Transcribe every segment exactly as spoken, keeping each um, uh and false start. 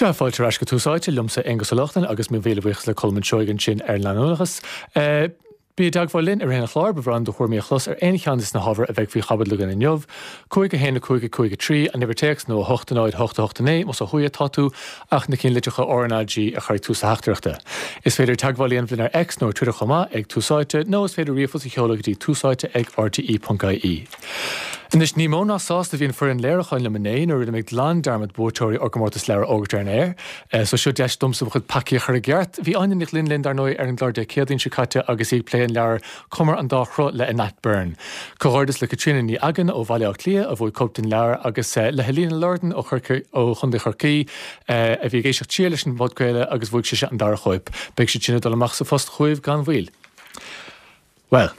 Sea, fáilte ar ais go Tús Áite liomsa Aonghus Ó Lochlainn agus mo mhíle buíochas le Colm Seoighe ansin ar an leanúnachas. Bí i dteagmháil linn i rith an chláir, ba bhreá liom do thuairimí a chlos ar aon cheann de na hábhair a bheidh faoi chaibidil againn inniu. Cúig a haon a cúig a cúig a trí, an uimhir téacs nó a hocht a náid hocht a hocht a naoi, más ó thuaidh atá tú, ach na cinn litreacha R N A G a chur ag tús do theachtaireachta. Is féidir teagmháil a dhéanamh linn ar X nó ar Twitter chomh maith ag Tús Áite nó is féidir ríomhphost a sheoladh go dtí túsáite ag R T E ponc I E. Anois ní mó ná sásta a bhí an foireann léiriúcháin liom inné nuair a rinne mé glan dearmad buaiteoirí ár gcomórtas leabhar a fhógairt ar an aer. Eh, so seo deis domsa mo chuid peacaí a chur i gceart. Bhí Áine Nic Linn linn dar ndóigh ar an gclár Dé Céadaoin seo caite agus í ag plé an leabhar Cumar an Dá Shruth le Anat Byrne. Comhghairdeas le Caitríona Ní Agan ó Bhaile Átha Cliath a bhuaigh cóip den leabhar agus eh, le Helena Lordan ó ó Chontae Chorcaí eh, a bhí ag éisteacht siar leis an bpodchraoladh agus bhuaigh sise an dara cóip. Beidh siad sin ag dul amach sa phost chugaibh gan mhoill. Well,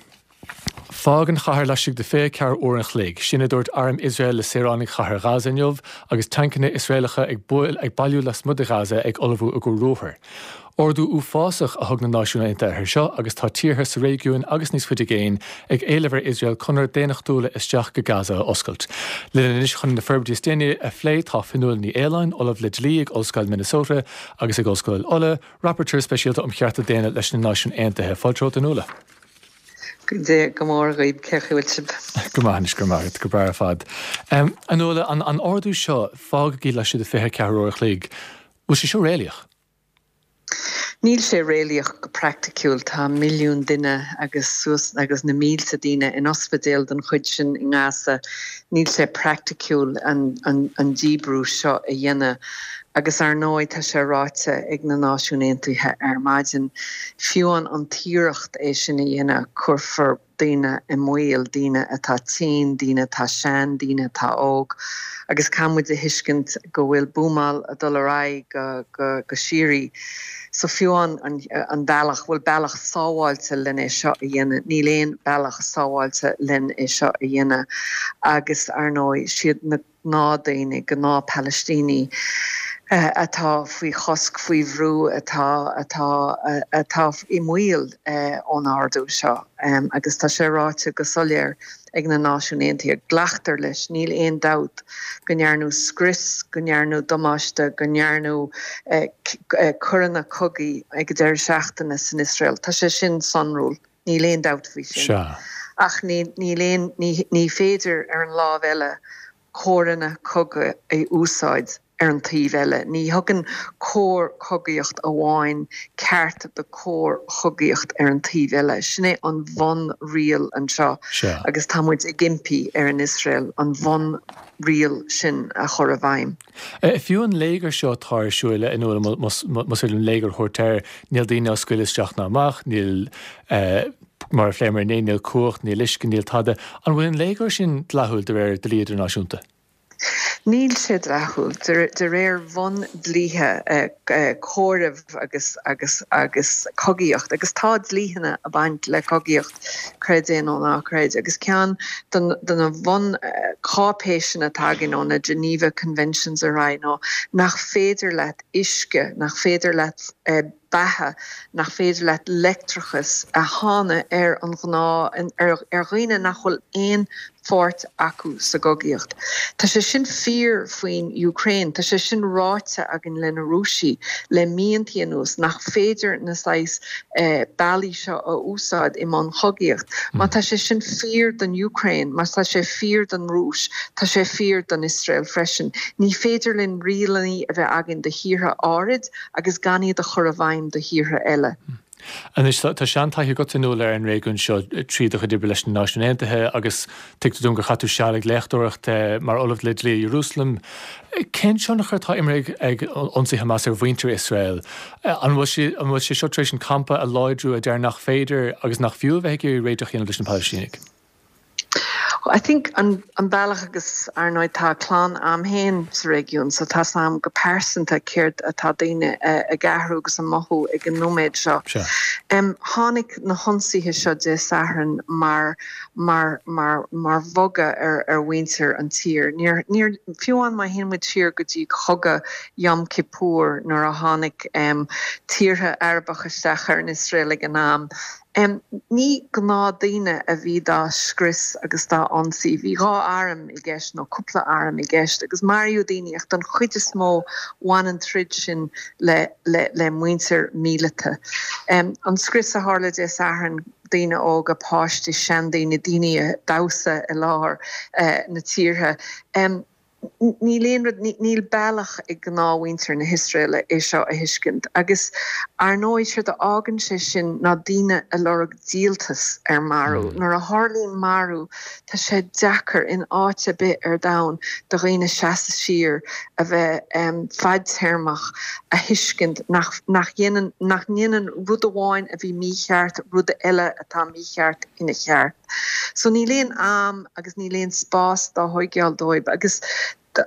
fág an chathair laistigh de fiche ceathair uair an chloig, sin a dúirt arm Iosrael le saoránaigh chathair Gaza inniu agus tancanna Iosraelacha ag buail ag bailiú lasmuigh de Gaza ag ullmhú a gcur ruathair. Ordú uafásach a thug na Náisiúin Aontaithe air seo agus tá tíortha sa réigiún agus níos faide i gcéin ag éileamh ar Iosrael conair daonnachtúla isteach go Gaza a oscailt. Linn anois chun na forbairtí is déanaí a phlé tá Fionnuala Ní Aoláin, ollamh le dlí ag Ollscoil Minnesota agus ag Ollscoil Uladh, rapporteur speisialta um chearta daonna leis na Náisiúin Aontaithe. Fáilte romhat, a Fhionnuala. Dé go mór dhaoibh cén chaoi a bhfuil sibh. Go maith go maith go breá ar fad. Um, a Fhionnuala an, an ordú seo fágaigí laistigh de fiche ceathair uair a chloig, bhfuil sé seo réalaíoch? Níl sé réalaíoch go praiticiúil. Tá milliún duine agus suas agus na mílte daoine in ospidéal den chuid sin i nGaza. Níl sé praiticiúil an, an, an díbrú seo a dhéanamh. Agus ar ndóigh tá sé ráite ag na Náisiúin Aontaithe ar maidin. Fiú an an iarracht é sin a dhéanamh cuirfear daoine i mbaol, daoine atá tinn, daoine atá sean, daoine atá óg, agus caithfidh muid a thuiscint go bhfuil buamáil ag dul ar aghaidh go, go, go síoraí. So fiú an, an, an bealach bhfuil bealach sábháilte len é seo a dhéanamh, níl aon bealach sábháilte len é seo a dhéanamh agus ar ndóigh siad na gnáthdaoine gnáth-Palaistínigh uh, atá faoi chosc faoi bhrú atá atá uh, atá i mbaol uh, ón ordú seo um, agus tá sé ráite go soiléir ag na Náisiúin Aontaithe glactar leis níl aon dabht go ndearnadh scrios go ndearnadh damáiste go ndearnadh eh, eh, coireanna cogaidh ag deireadh seachtaine san Iosrael Tá sé sin sonrúil níl aon dabht faoi sin ach ní ní ní féidir ar an lámh eile córanna cogaidh a úsáid ar an taobh eile. Ní thugann cóir chogaíocht amháin ceart do chóir chogaíocht ar an taobh eile. Sin é an bhunriail anseo agus tá muid ag impí ar an Iosrael an bhunriail sin a chur i bhfeidhm. E, fiú an léigear seo atá ar siúl a Fhionnuala más an léigear thirtear níl daoine á scaoileadh isteach ná amach, níl eh, mar a phléamar inné níl cumhacht, níl uisce níl tada, an bhfuil an léigear sin dleathúil de réir dlí idirnáisiúnta. Níl sé dleathúil de réir bhundlíthe comhaireamh agus agus agus cogaíocht agus tá dlíthe ag baint le cogaíocht creid é nó ná creid agus ceann de na bhuncháipéisí atá againn ó na Geneva Conventions a rá nó nach féidir leat uisce nach féidir leat eh, beatha nach féidir leat leictreachas a shannadh ar an ghnáth ar, ar dhaoine nach bhfuil aon pháirt acu sa gcogaíocht. Tá sé sin fíor faoin Ukraine, Tá sé sin ráite againn leis na Rúisigh le míontaí anuas nach féidir na sais eh, bealaí seo a úsáid i mbun chogaíocht. Má tá sé sin fíor don Ukraine, má tá sé fíor don Rúis, tá sé fíor don Iosrael freisin. Ní féidir linn rialacha a bheith againn do thíortha áirid agus gan iad a chur i bhfeidhm do thíortha eile. Anois tá seantaithí agat ar an réigiún seo trí do chuid oibre leis na Náisiúin Aontaithe agus tuigtear dom gur chaith tú seal ag léachtóireacht mar ollamh le dlí Jerusalem. Cén tionchar atá imeartha ag ionsaí Hamas ar mhuintir Iosrael? An bhfuil sé seo tar éis an campa a láidriú a deir nach féidir agus nach fiú bheith ag iarraidh réiteach a dhéanamh leis na Palaistínigh? I think an, an bealach agus ar ndóigh tá clann agam féin sa réigiún, so tá am go pearsanta céard atá daoine uh, ag athrú agus an mothú ag an nóiméad seo. Um, tháinig na hionsaithe seo Dé Sathairn mar mar mar mar bhogadh ar ar mhuintir an tír. Níor níor fiú an má théann muid siar go dtí cogadh Yom Kippur nuair a tháinig um, tíortha Arabach isteach ar an Iosrael ag an am. Ní gnáthdaoine a bhí dá scrios agus dá ionsaí. Bhí dhá arm i gceist nó cúpla arm i gceist agus maraíodh daoine ach don chuid is mó bhain an troid sin le le le muintir míleata. An scrios a tharla Dé Sathairn, daoine óga, páistí, seandaoine, daoine ag damhsa i lár na tíortha. Níl aon rud, níl bealach ag gnáthmhuintir na hIosraeile é seo a thuiscint. Agus ar ndóigh, séard a fhágann sé sin ná daoine ag lorg díoltas ar marú. Nuair a tharlaíonn marú, tá sé deacair in áit ar bith ar domhan do dhaoine seasamh siar, a bheith fadtéarmach, a thuiscint nach nach dhéanann nach ndéanann rud amháin a bhí mícheart rud eile atá mícheart ina cheart. So níl aon am agus níl aon spás dá thóigeáil dóibh agus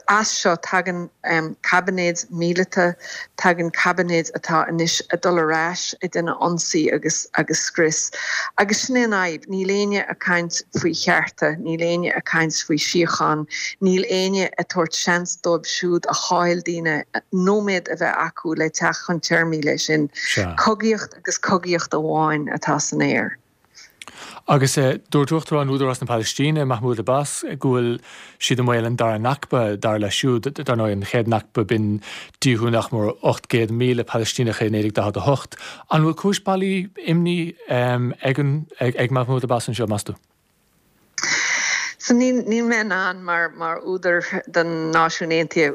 as seo tagann caibinéid míleata, tagann caibinéid atá anois ag dul ar ais ag déanamh ionsaí agus agus scrios. Agus sin é an fhadhb, níl éinne ag caint faoi chearta, níl éinne ag caint faoi síocháin, níl éinne ag tabhairt seans dóibh siúd a chaill daoine nóiméad a bheith acu le teacht chun téarmaí leis sin. Cogaíocht agus cogaíocht amháin atá san aer. Agus dúirt Uachtarán Údarás na Palaistíne, Mahmoud Abbas, go bhfuil siad i mbaol an dara Nakba, dar leis siúd. Dar ndóigh, an chéad Nakba, b'in díothú nach mór ocht gcéad míle Palaistíneach i naoi déag daichead a hocht. An bhfuil cúis bailí imní ag ag Mahmoud Abbas anseo, meas tú? So níl níl mé in ann mar mar údar den Náisiún Aontaithe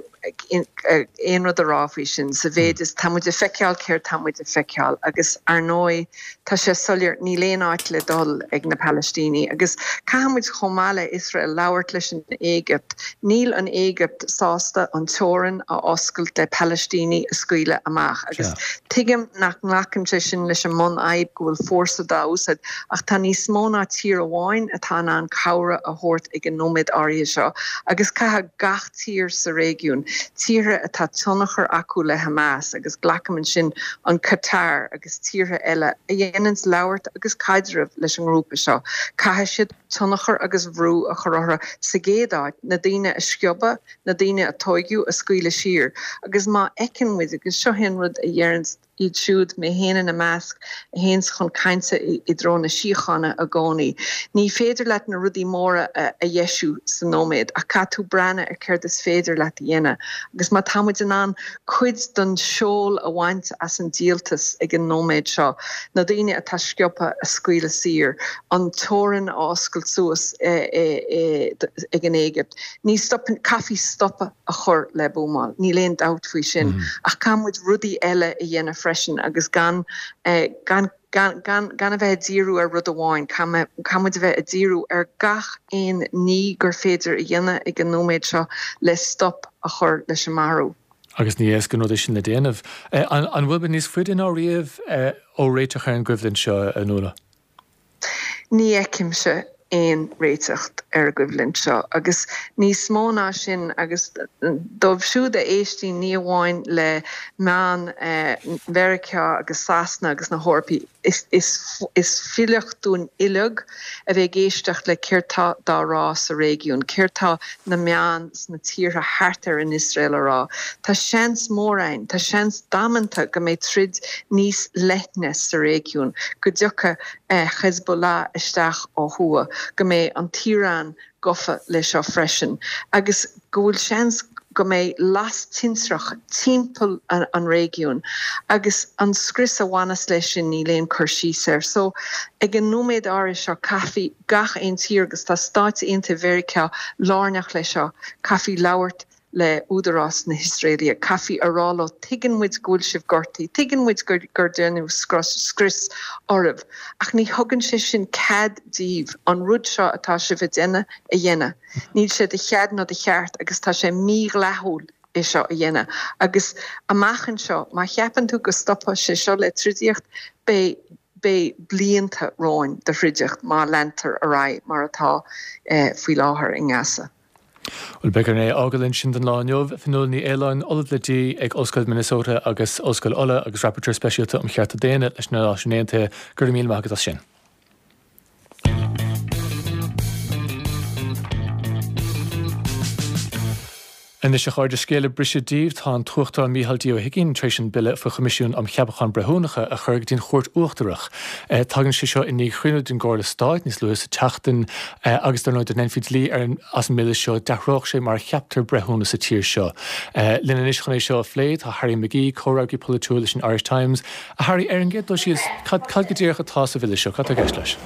aon rud a rá faoi sin sa mhéid is tá muid ag feiceáil céard tá muid ag feiceáil agus ar ndóigh tá sé soiléir níl aon áit le dul ag na Palaistínigh agus caithfidh muid chomh maith le Iosrael labhairt leis an Éigipt. Níl an Éigipt sásta an teorainn a oscailt le Palaistínigh a scaoileadh amach agus tuigim nach nglacann sé sin leis an mbunfhadhb go bhfuil fórsa dá úsáid ach tá níos mó ná tír amháin atá in ann cabhair a thabhairt ag an nóiméad áirithe seo agus caithfidh gach tír sa réigiún, tíortha atá tionchar acu le Hamas agus glacaim ansin an Qatar agus tíortha eile a dhéananns labhairt agus caidreamh leis an ngrúpa seo, caithfidh siad tionchar agus bhrú a chur orthu sa gcéad áit, na daoine a sciobadh, na daoine a tóigeadh a scaoileadh siar agus má fheiceann muid, agus seo é an rud a dheireanns iad siúd, mé féin ina measc, a théanns chun cainte i dtreo na síochána i gcónaí. Ní féidir leat na rudaí móra a dheisiú sa nóiméad ach caithfidh tú breathnú ar céard is féidir leat a dhéanamh agus má tá muid in ann cuid den seol a bhaint as an díoltas ag an nóiméad seo, na daoine atá sciobtha a scaoileadh saor, an teorainn a oscailt suas ag an Éigipt, ní stopann, caithfí stopadh a chur le buamáil, níl aon dabht faoi sin, ach caithfidh muid rudaí eile a dhéanamh freisin agus gan gan gan gan gan a bheith ag díriú ar rud amháin, caithfidh muid a bheith ag díriú ar gach aon ní gur féidir a dhéanamh ag an nóiméad seo le stop a chur leis an marú. Agus ní éasca an rud é sin le déanamh. An bhfuil muid níos faide ná riamh ó réiteach ar an gcoimhlint seo, a Nuala? Ní fheicimse aon réiteach ar an gcoimhlint seo agus níos mó ná sin agus dóibh siúd a éistíonn ní amháin le meáin Mheiriceá agus Sasana agus na hEorpaí, is fuilcheach dúinn uilig a bheith ag éisteacht le céard tá dá rá sa réigiún, céard tá na meáin sna tíortha thart ar an Iosrael a rá. Tá seans mór ann, tá seans damanta go mbeidh troid níos leithne sa réigiún, go dtiocfaidh Hezbollah isteach ó thuaidh, go mbeidh an tIaráin gafa le seo freisin agus go bhfuil seans go mbeidh las tintreach timpeall an réigiúin agus an scrios a bhaineas leis sin níl aon cur síos air. So ag an nóiméad áirithe seo caithfidh gach aon tír agus tá Stáit Aontaithe Mheiriceá lárnach leis seo, caithfidh labhairt le údarás na hIosraeile. Caithfí a rá leo, tuigeann muid go bhfuil sibh gortaithe, tuigeann muid gur gur déanadh scrios oraibh, ach ní thugann sé sin cead daoibh an rud seo atá sibh a déanamh a dhéanamh. Níl sé de chead ná de cheart agus tá sé mídhleathúil é seo a dhéanamh. Agus amach anseo, má cheapann tú go stopfaidh sé seo le troidiacht, beidh beidh blianta romhainn de throidiacht má leantar ar aghaidh mar atá faoi láthair i nGaza. Bhuel, beidh orainn é a fhágáil ansin don lá inniu. Fionnuala Ní Aoláin, Ollamh le Dlí ag Ollscoil Minnesota agus Ollscoil Uladh agus Rapporteur Speisialta um Chearta Daonna leis na Náisiúin Aontaithe, go raibh míle maith agat as sin. Anois a chairde scéal ag briseadh daoibh tá an tUachtarán Micheál D. Ó hUigínn tar éis an bille faoi Choimisiún um Cheapacháin Breithiúnacha a chur go dtí an Chúirt Uachtarach. Eh, tagann sé seo i ndiaidh chruinniú den gComhairle Stáit níos luaithe sa tseachtain eh, agus dar ndóigh dá ndéanfaí dlí ar an as an mbille seo d'athródh sé mar a cheaptar breithiúna sa tír seo. Eh, linn anois chun é seo a phlé tá Harry McGee, comhfhreagraí polaitiúil leis an Irish Times. A Harry ar an gcéad dul síos cad cad go díreach atá sa bhille seo, cad tá i gceist leis.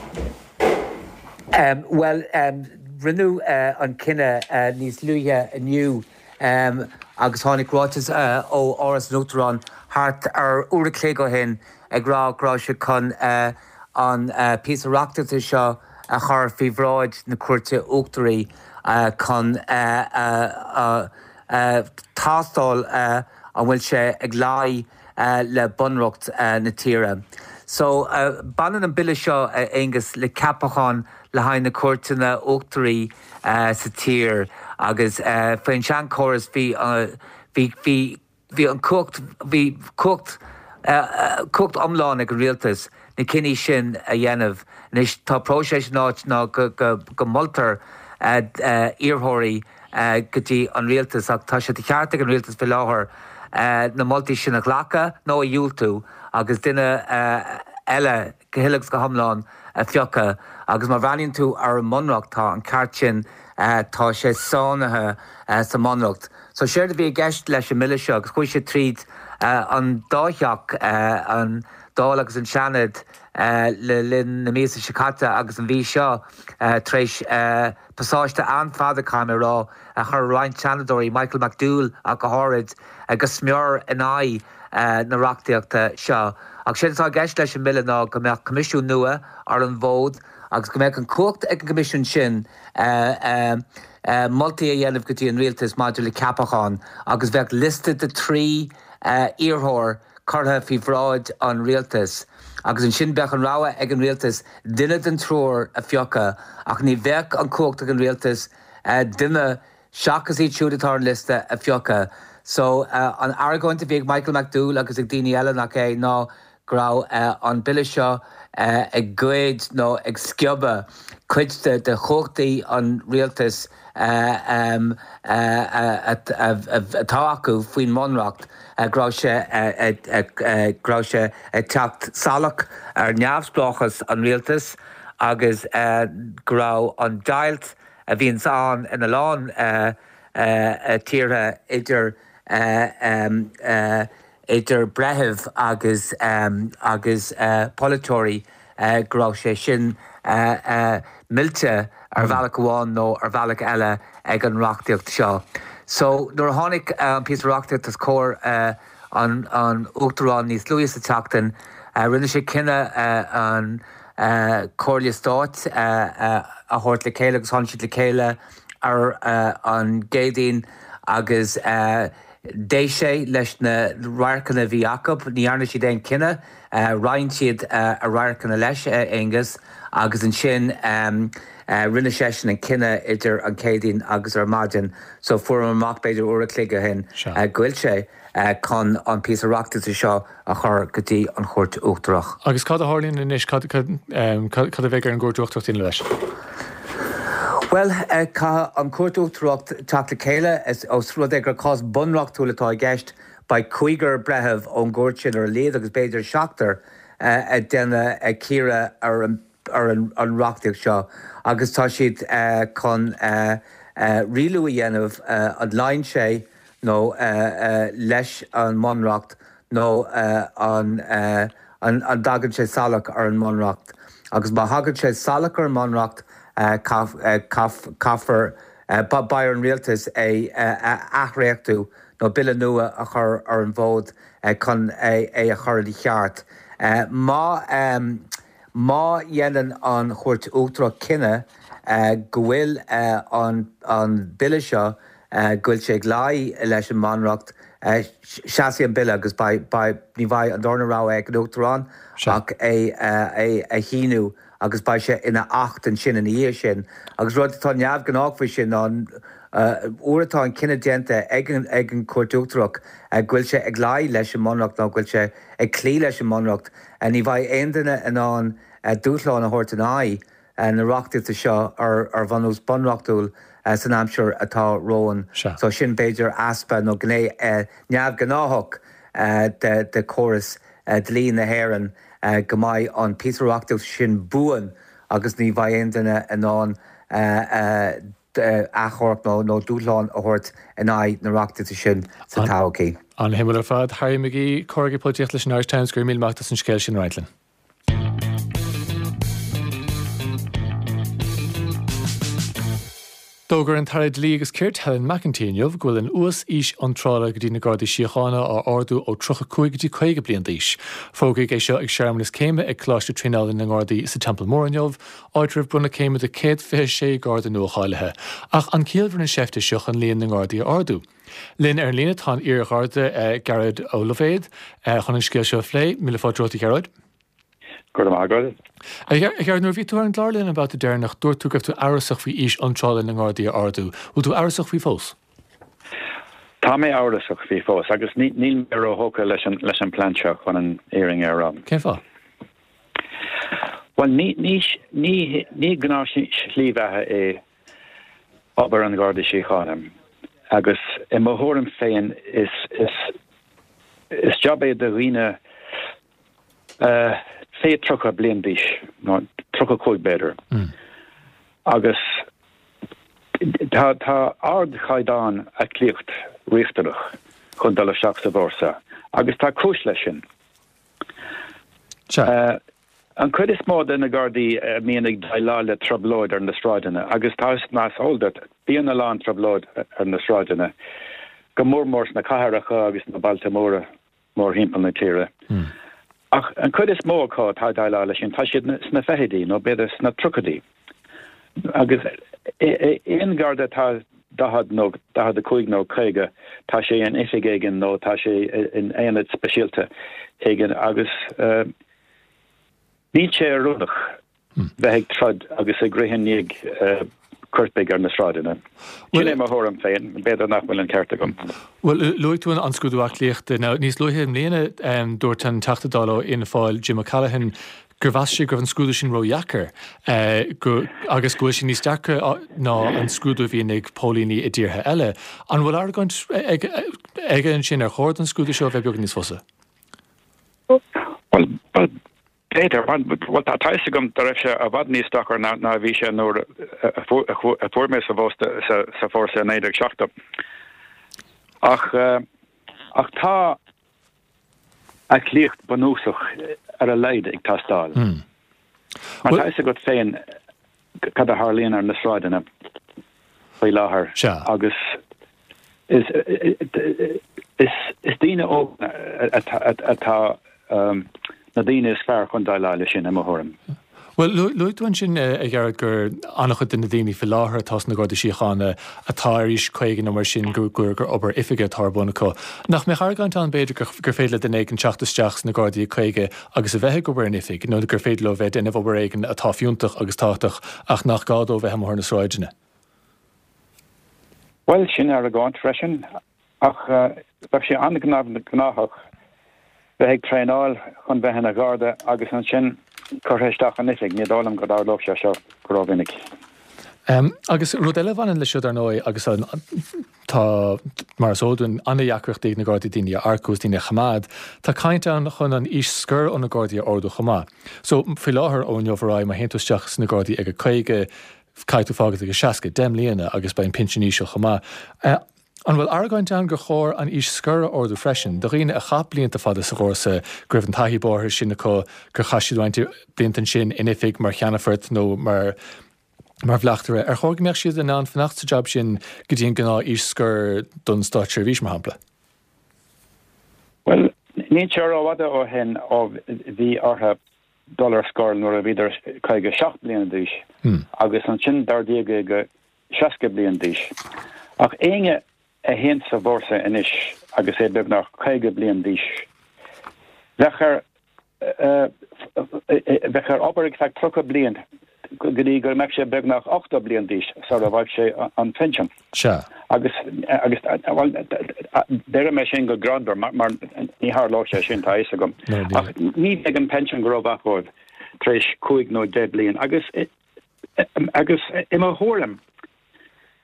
Um, well, um, rinneadh uh, an cinneadh uh, níos luaithe inniu um, agus tháinig ráiteas uh, ó Áras an Uachtaráin thart ar uair a chloig ó shin ag rá go raibh sé chun uh, an uh, píosa reachtaíochta seo a chur faoi bhráid na Cúirte Uachtaraí uh, chun uh, uh, uh, uh, tástáil uh, an bhfuil sé ag luí uh, le bunreacht uh, na tíre. So uh, baineann an bille seo uh, Aengus le ceapachán le haghaidh na cúirteanna uachtaraí uh, sa tír agus uh, faoin seanchóras bhí uh, bhí bhí bhí an cumhacht bhí cumhacht uh, cumhacht iomlán ag an rialtas na cinní sin a dhéanamh. Anois tá próiseas in áit ná go, go, go moltar uh, uh, iarrthóirí uh, go dtí an rialtas ach tá sé de cheart ag an rialtas faoi láthair uh, na moltaí sin a ghlacadh nó a dhiúltú agus duine uh, eile go huile is go hiomlán a phiocadh agus má bhreathnaíonn tú ar an mbunreacht tá an ceart sin uh, tá sé sainithe uh, sa mbunreacht. So séard a bhí i gceist leis an mbille seo agus chuaigh sé tríd uh, an dá theach uh, an Dáil agus an Seanad uh, le linn na míosa seo caite agus an mhí seo uh, tar éis uh, pasáiste an-fhada caithfidh mé rá a chuir roinnt Seanadóirí Michael McDowell ach go háirid uh, go smior in aghaidh uh, na reachtaíochta seo. Ach sé atá i gceist leis an mbille ná go mbeadh coimisiún nua ar an bhfód agus go mbeadh an cumhacht ag an gcoimisiún sin uh, uh, uh, moltaí a dhéanamh go dtí an rialtas maidir le ceapachán agus bheadh liosta de trí uh, iarrthóir curtha faoi bhráid an rialtas. Agus ansin bheadh an rogha ag an rialtas duine den triúr a phiocadh ach ní bheadh an cumhacht ag an rialtas uh, duine seachas iad siúd atá ar an liosta a phiocadh. So uh, an argóint a bhí ag Michael McDowell agus ag daoine eile nach é ná go raibh uh, an bille seo uh, ag goid nó ag sciobadh cuid de, de chumhachtaí an rialtas uh, um, uh, uh, atá acu faoin mbunreacht uh, go raibh sé uh, uh, uh, go raibh sé ag teacht salach ar neamhspleáchas an rialtas agus uh, go raibh an deighilt a bhíonn ann ina lán uh, uh, tíortha idir uh, um, uh, idir breithimh agus um, agus uh, polaiteoirí uh, go raibh sé sin uh, uh, millte ar bhealach amháin nó ar bhealach eile ag an reachtaíocht seo. So nuair a tháinig an uh, píosa reachtaíochta os comhair uh, an, an Uachtarán níos luaithe sa tseachtain, uh, rinne sé cinneadh uh, an uh, Comhairle Stáit uh, uh, a thabhairt le chéile agus tháinig siad le chéile ar uh, an gCéadaoin agus uh, D'éist sé leis na radharcanna a bhí acu, ní dhearna siad aon chinneadh, uh, roinn siad uh, a radharcanna leis uh, Aengus agus ansin um, uh, rinne seisean an cinneadh idir an Chéadaoin agus ar maidin, so fuair amach b'fhéidir uair a chloig ó shin uh, go bhfuil sé uh, chun an píosa reachtaíochta seo a chur go dtí an Chúirt Uachtarach. Agus cad a tharlaíonn anois cad, cad, um, cad, cad a bheidh ar an gCúirt Uachtarach déanamh leis? Well, uh, caithfidh an Chúirt Uachtarach teacht le chéile is os rud é gur cás bunreachtúil atá i gceist beidh cúigear breitheamh ón gcúirt sin ar a laghad agus b'fhéidir seachtar uh, ag déanamh ag cíoradh ar an, ar an, an reachtaíocht seo agus tá siad uh, chun uh, uh, rialú a dhéanamh uh, an luíonn sé nó uh, uh, leis an mbunreacht nó uh, an, uh, an, an dtagann sé salach ar an mbunreacht. Agus má thagann sé salach ar an mbunreacht, uh, caithfear uh, beidh ar an rialtas é uh, athdhréachtú nó bille nua a chur ar an bhfód uh, chun é, é a chur i cheart. Uh, má um, má dhéanann an Chúirt Uachtarach cinneadh uh, go bhfuil uh, an, an bille seo uh, go bhfuil sé ag luí leis an mbunreacht uh, seasfaidh an bille agus beidh, beidh, ní bheidh an darna rogha ag an Uachtarán ach é, uh, é a shíniú agus beidh sé ina acht ansin ina dhiaidh sin. Agus rud atá neamhghnách faoi sin ná uair atá an cinneadh déanta ag an ag an Chúirt Uachtarach go bhfuil sé ag luí leis an mbunreacht nó go bhfuil sé ag cloí leis an mbunreacht. Ní bheidh aon duine in ann dúshlán a thabhairt in aghaidh na reachtaíochta seo ar ar bhunús bunreachtúil san aimsir atá romhainn. So sin b'fhéidir easpa nó gné neamhghnáthach de de chóras dlí na hÉireann go mbeidh an píosa reachtaíocht sin buan agus ní bheidh aon duine in ann achomharc nó nó dúshlán a thabhairt in aghaidh na reachtaíochta sin sa todhchaí. An-shuimiúil ar fad. Harry McGee, comhfhreagraí polaitíochta leis an Irish Times, go raibh míle maith agat as an scéal sin a roinnt linn. D'fhógair an tAire Dlí agus Cirt Helen McEntee inniu go bhfuil an uas-aois iontrála go dtí na Gardaí Síochána á ardú ó tríocha cúig go dtí caoga bliain d'aois. Fógraíodh é seo ag searmanas céime ag Coláiste Traenála na nGardaí sa Teampall Mór inniu, áit a raibh bronnadh céime do céad fiche sé Garda nua-cháilithe. Ach an ciallmhar an seift é seo chun líon na nGardaí a ardú? Linn ar an líne tá an iar-Gharda Gearóid Ó Loibhéad chun an scéal seo a phlé. Míle fáilte romhat a Ghearóid. Go raibh maith agat. A Ghearóid, nuair a bhí tú ar an gclár linn an babhta deireanach, dúirt tú go raibh tú amhrasach faoi aois iontrála na nGardaí a ardú. Bhfuil tú amhrasach faoi fós? Tá mé amhrasach faoi fós agus níl mé róthógtha leis an leis an bplean seo chun an fhírinne a rá. Cén fáth? Bhuel, ní ní ní ní gnáthshlí bheatha é obair an Gharda Síochána agus i mo thuairim féin is is is jab é do dhaoine fé tríocha bliain d'aois, nó tríocha cúig b'fhéidir. Agus tá tá ardchaighdeán aclaíocht riachtanach chun dul isteach sa bhfórsa agus tá cúis leis sin. Sea. An chuid is mó de na Gardaí a mbíonn ag déileáil le trioblóid ar na sráideanna, agus tá mar is eol duit, bíonn a lán trioblóid ar na sráideanna, go mór mór sna cathracha agus sna bailte móra mórthimpeall na tíre. Ach an chuid is mó acu atá ag déileáil leis sin, tá siad sna fichidí nó b'fhéidir sna tríochaidí. Agus aon Gharda atá daichead nó daichead a cúig nó caoga, tá sé in oifig éigin nó tá sé in aonad speisialta éigin agus níl sé oiriúnach bheith ag troid agus ag rith i ndiaidh coirpigh ar na sráideanna. Sin é mo thuairim féin, b'fhéidir nach bhfuil an ceart agam. Bhuel, luaigh tú an scrúdú aclaíochta. Now, níos luaithe i mbliana, dúirt an Teachta Dála ó Fhianna Fáil, Jim O'Callaghan, gur mheas sé go raibh an scrúdú sin ródheacair agus go bhfuil sé níos deacra ná an scrúdú a bhíonn ag póilíní i dtíortha eile. An bhfuil argóint aige ansin ar chóir don scrúdú seo a bheith beagán níos fusa? Bhuel, b'fhéidir. Bhuel, tá a fhios agam go raibh sé i bhfad níos deacra ná a bhí sé nuair a fuair mé sa sa fórsa i naoi déag seachtó. Ach ach tá aclaíocht bunúsach ar a laghad ag teastáil. Mar tá a fhios agat féin cad a tharlaíonn ar na sráideanna faoi láthair agus is is daoine óga atá na daoine is fearr chun déileáil leis sin, i mo thuairim. Bhuel, luaigh tú ansin, a Ghearóid, gur an-chuid de na daoine faoi láthair atá sna Gardaí Síochána atá ar aois caoga nó mar sin, gur gur obair oifige atá ar bun acu. Nach mbeadh argóint ann, b'fhéidir, gur féidir le duine éigin teacht isteach sna Gardaí ag caoga agus a bheith ag obair in oifig, nó gur féidir leo bheith ag déanamh obair éigin atá fiúntach agus tábhachtach ach nach gá dó bheith amuigh ar na sráideanna? Bhuel, sin argóint freisin, ach bheadh sé an-ghnáthach bheith ag traenáil chun bheith ina Gharda agus ansin curtha isteach in oifig, ní dóigh liom go dtarlódh sé seo go rómhinic. Agus rud eile a bhaineann leis seo, dar ndóigh, agus tá, mar is eol dúinn, an-deacrachtaí ag na Gardaí daoine a earcú agus daoine a choimeád, tá caint ann chun an aois scoir ó na Gardaí a ardú chomh maith. So, faoi láthair, ó inniu ar aghaidh, má théann tú isteach sna Gardaí ag a caoga, caithfidh tú fágáil ag a seasca, deich mbliana, agus beidh an pinsean íseal chomh maith. An bhfuil argóint ann gur chóir an aois scoir a ardú freisin, do dhaoine a chaith blianta fada sa bhfórsa, go raibh an taithí bóthair sin acu, gur chaith siad roinnt blianta ansin in oifig mar cheannfort nó mar mar bhleachtaire, ar chóir go mbeadh siad in ann fanacht sa jab sin go dtí an gnáth aois scoir don státseirbhís, mar shampla? Bhuel, níl sé rófhada ó shin ó bhí orthu dul ar scor nuair a bhíodar caoga seacht bliana d'aois agus ansin d'ardaíodh é go seasca bliain d'aois. Ach éinne a théann sa bhfórsa anois agus é beagnach caoga bliain d'aois, bheadh air bheadh air obair ar feadh tríocha bliain go dtí go mbeadh sé beagnach ochtó bliain d'aois sara bhfaigheadh sé an pinsean. Sea. Agus, agus, bhuel, deirim é sin go greannmhar mar, mar ní tharlódh sé sin, tá a fhios agam. Ach ní bheidh an pension go rómhaith dóibh tar éis cúig nó deich bliain. Agus, agus i mo thuairim,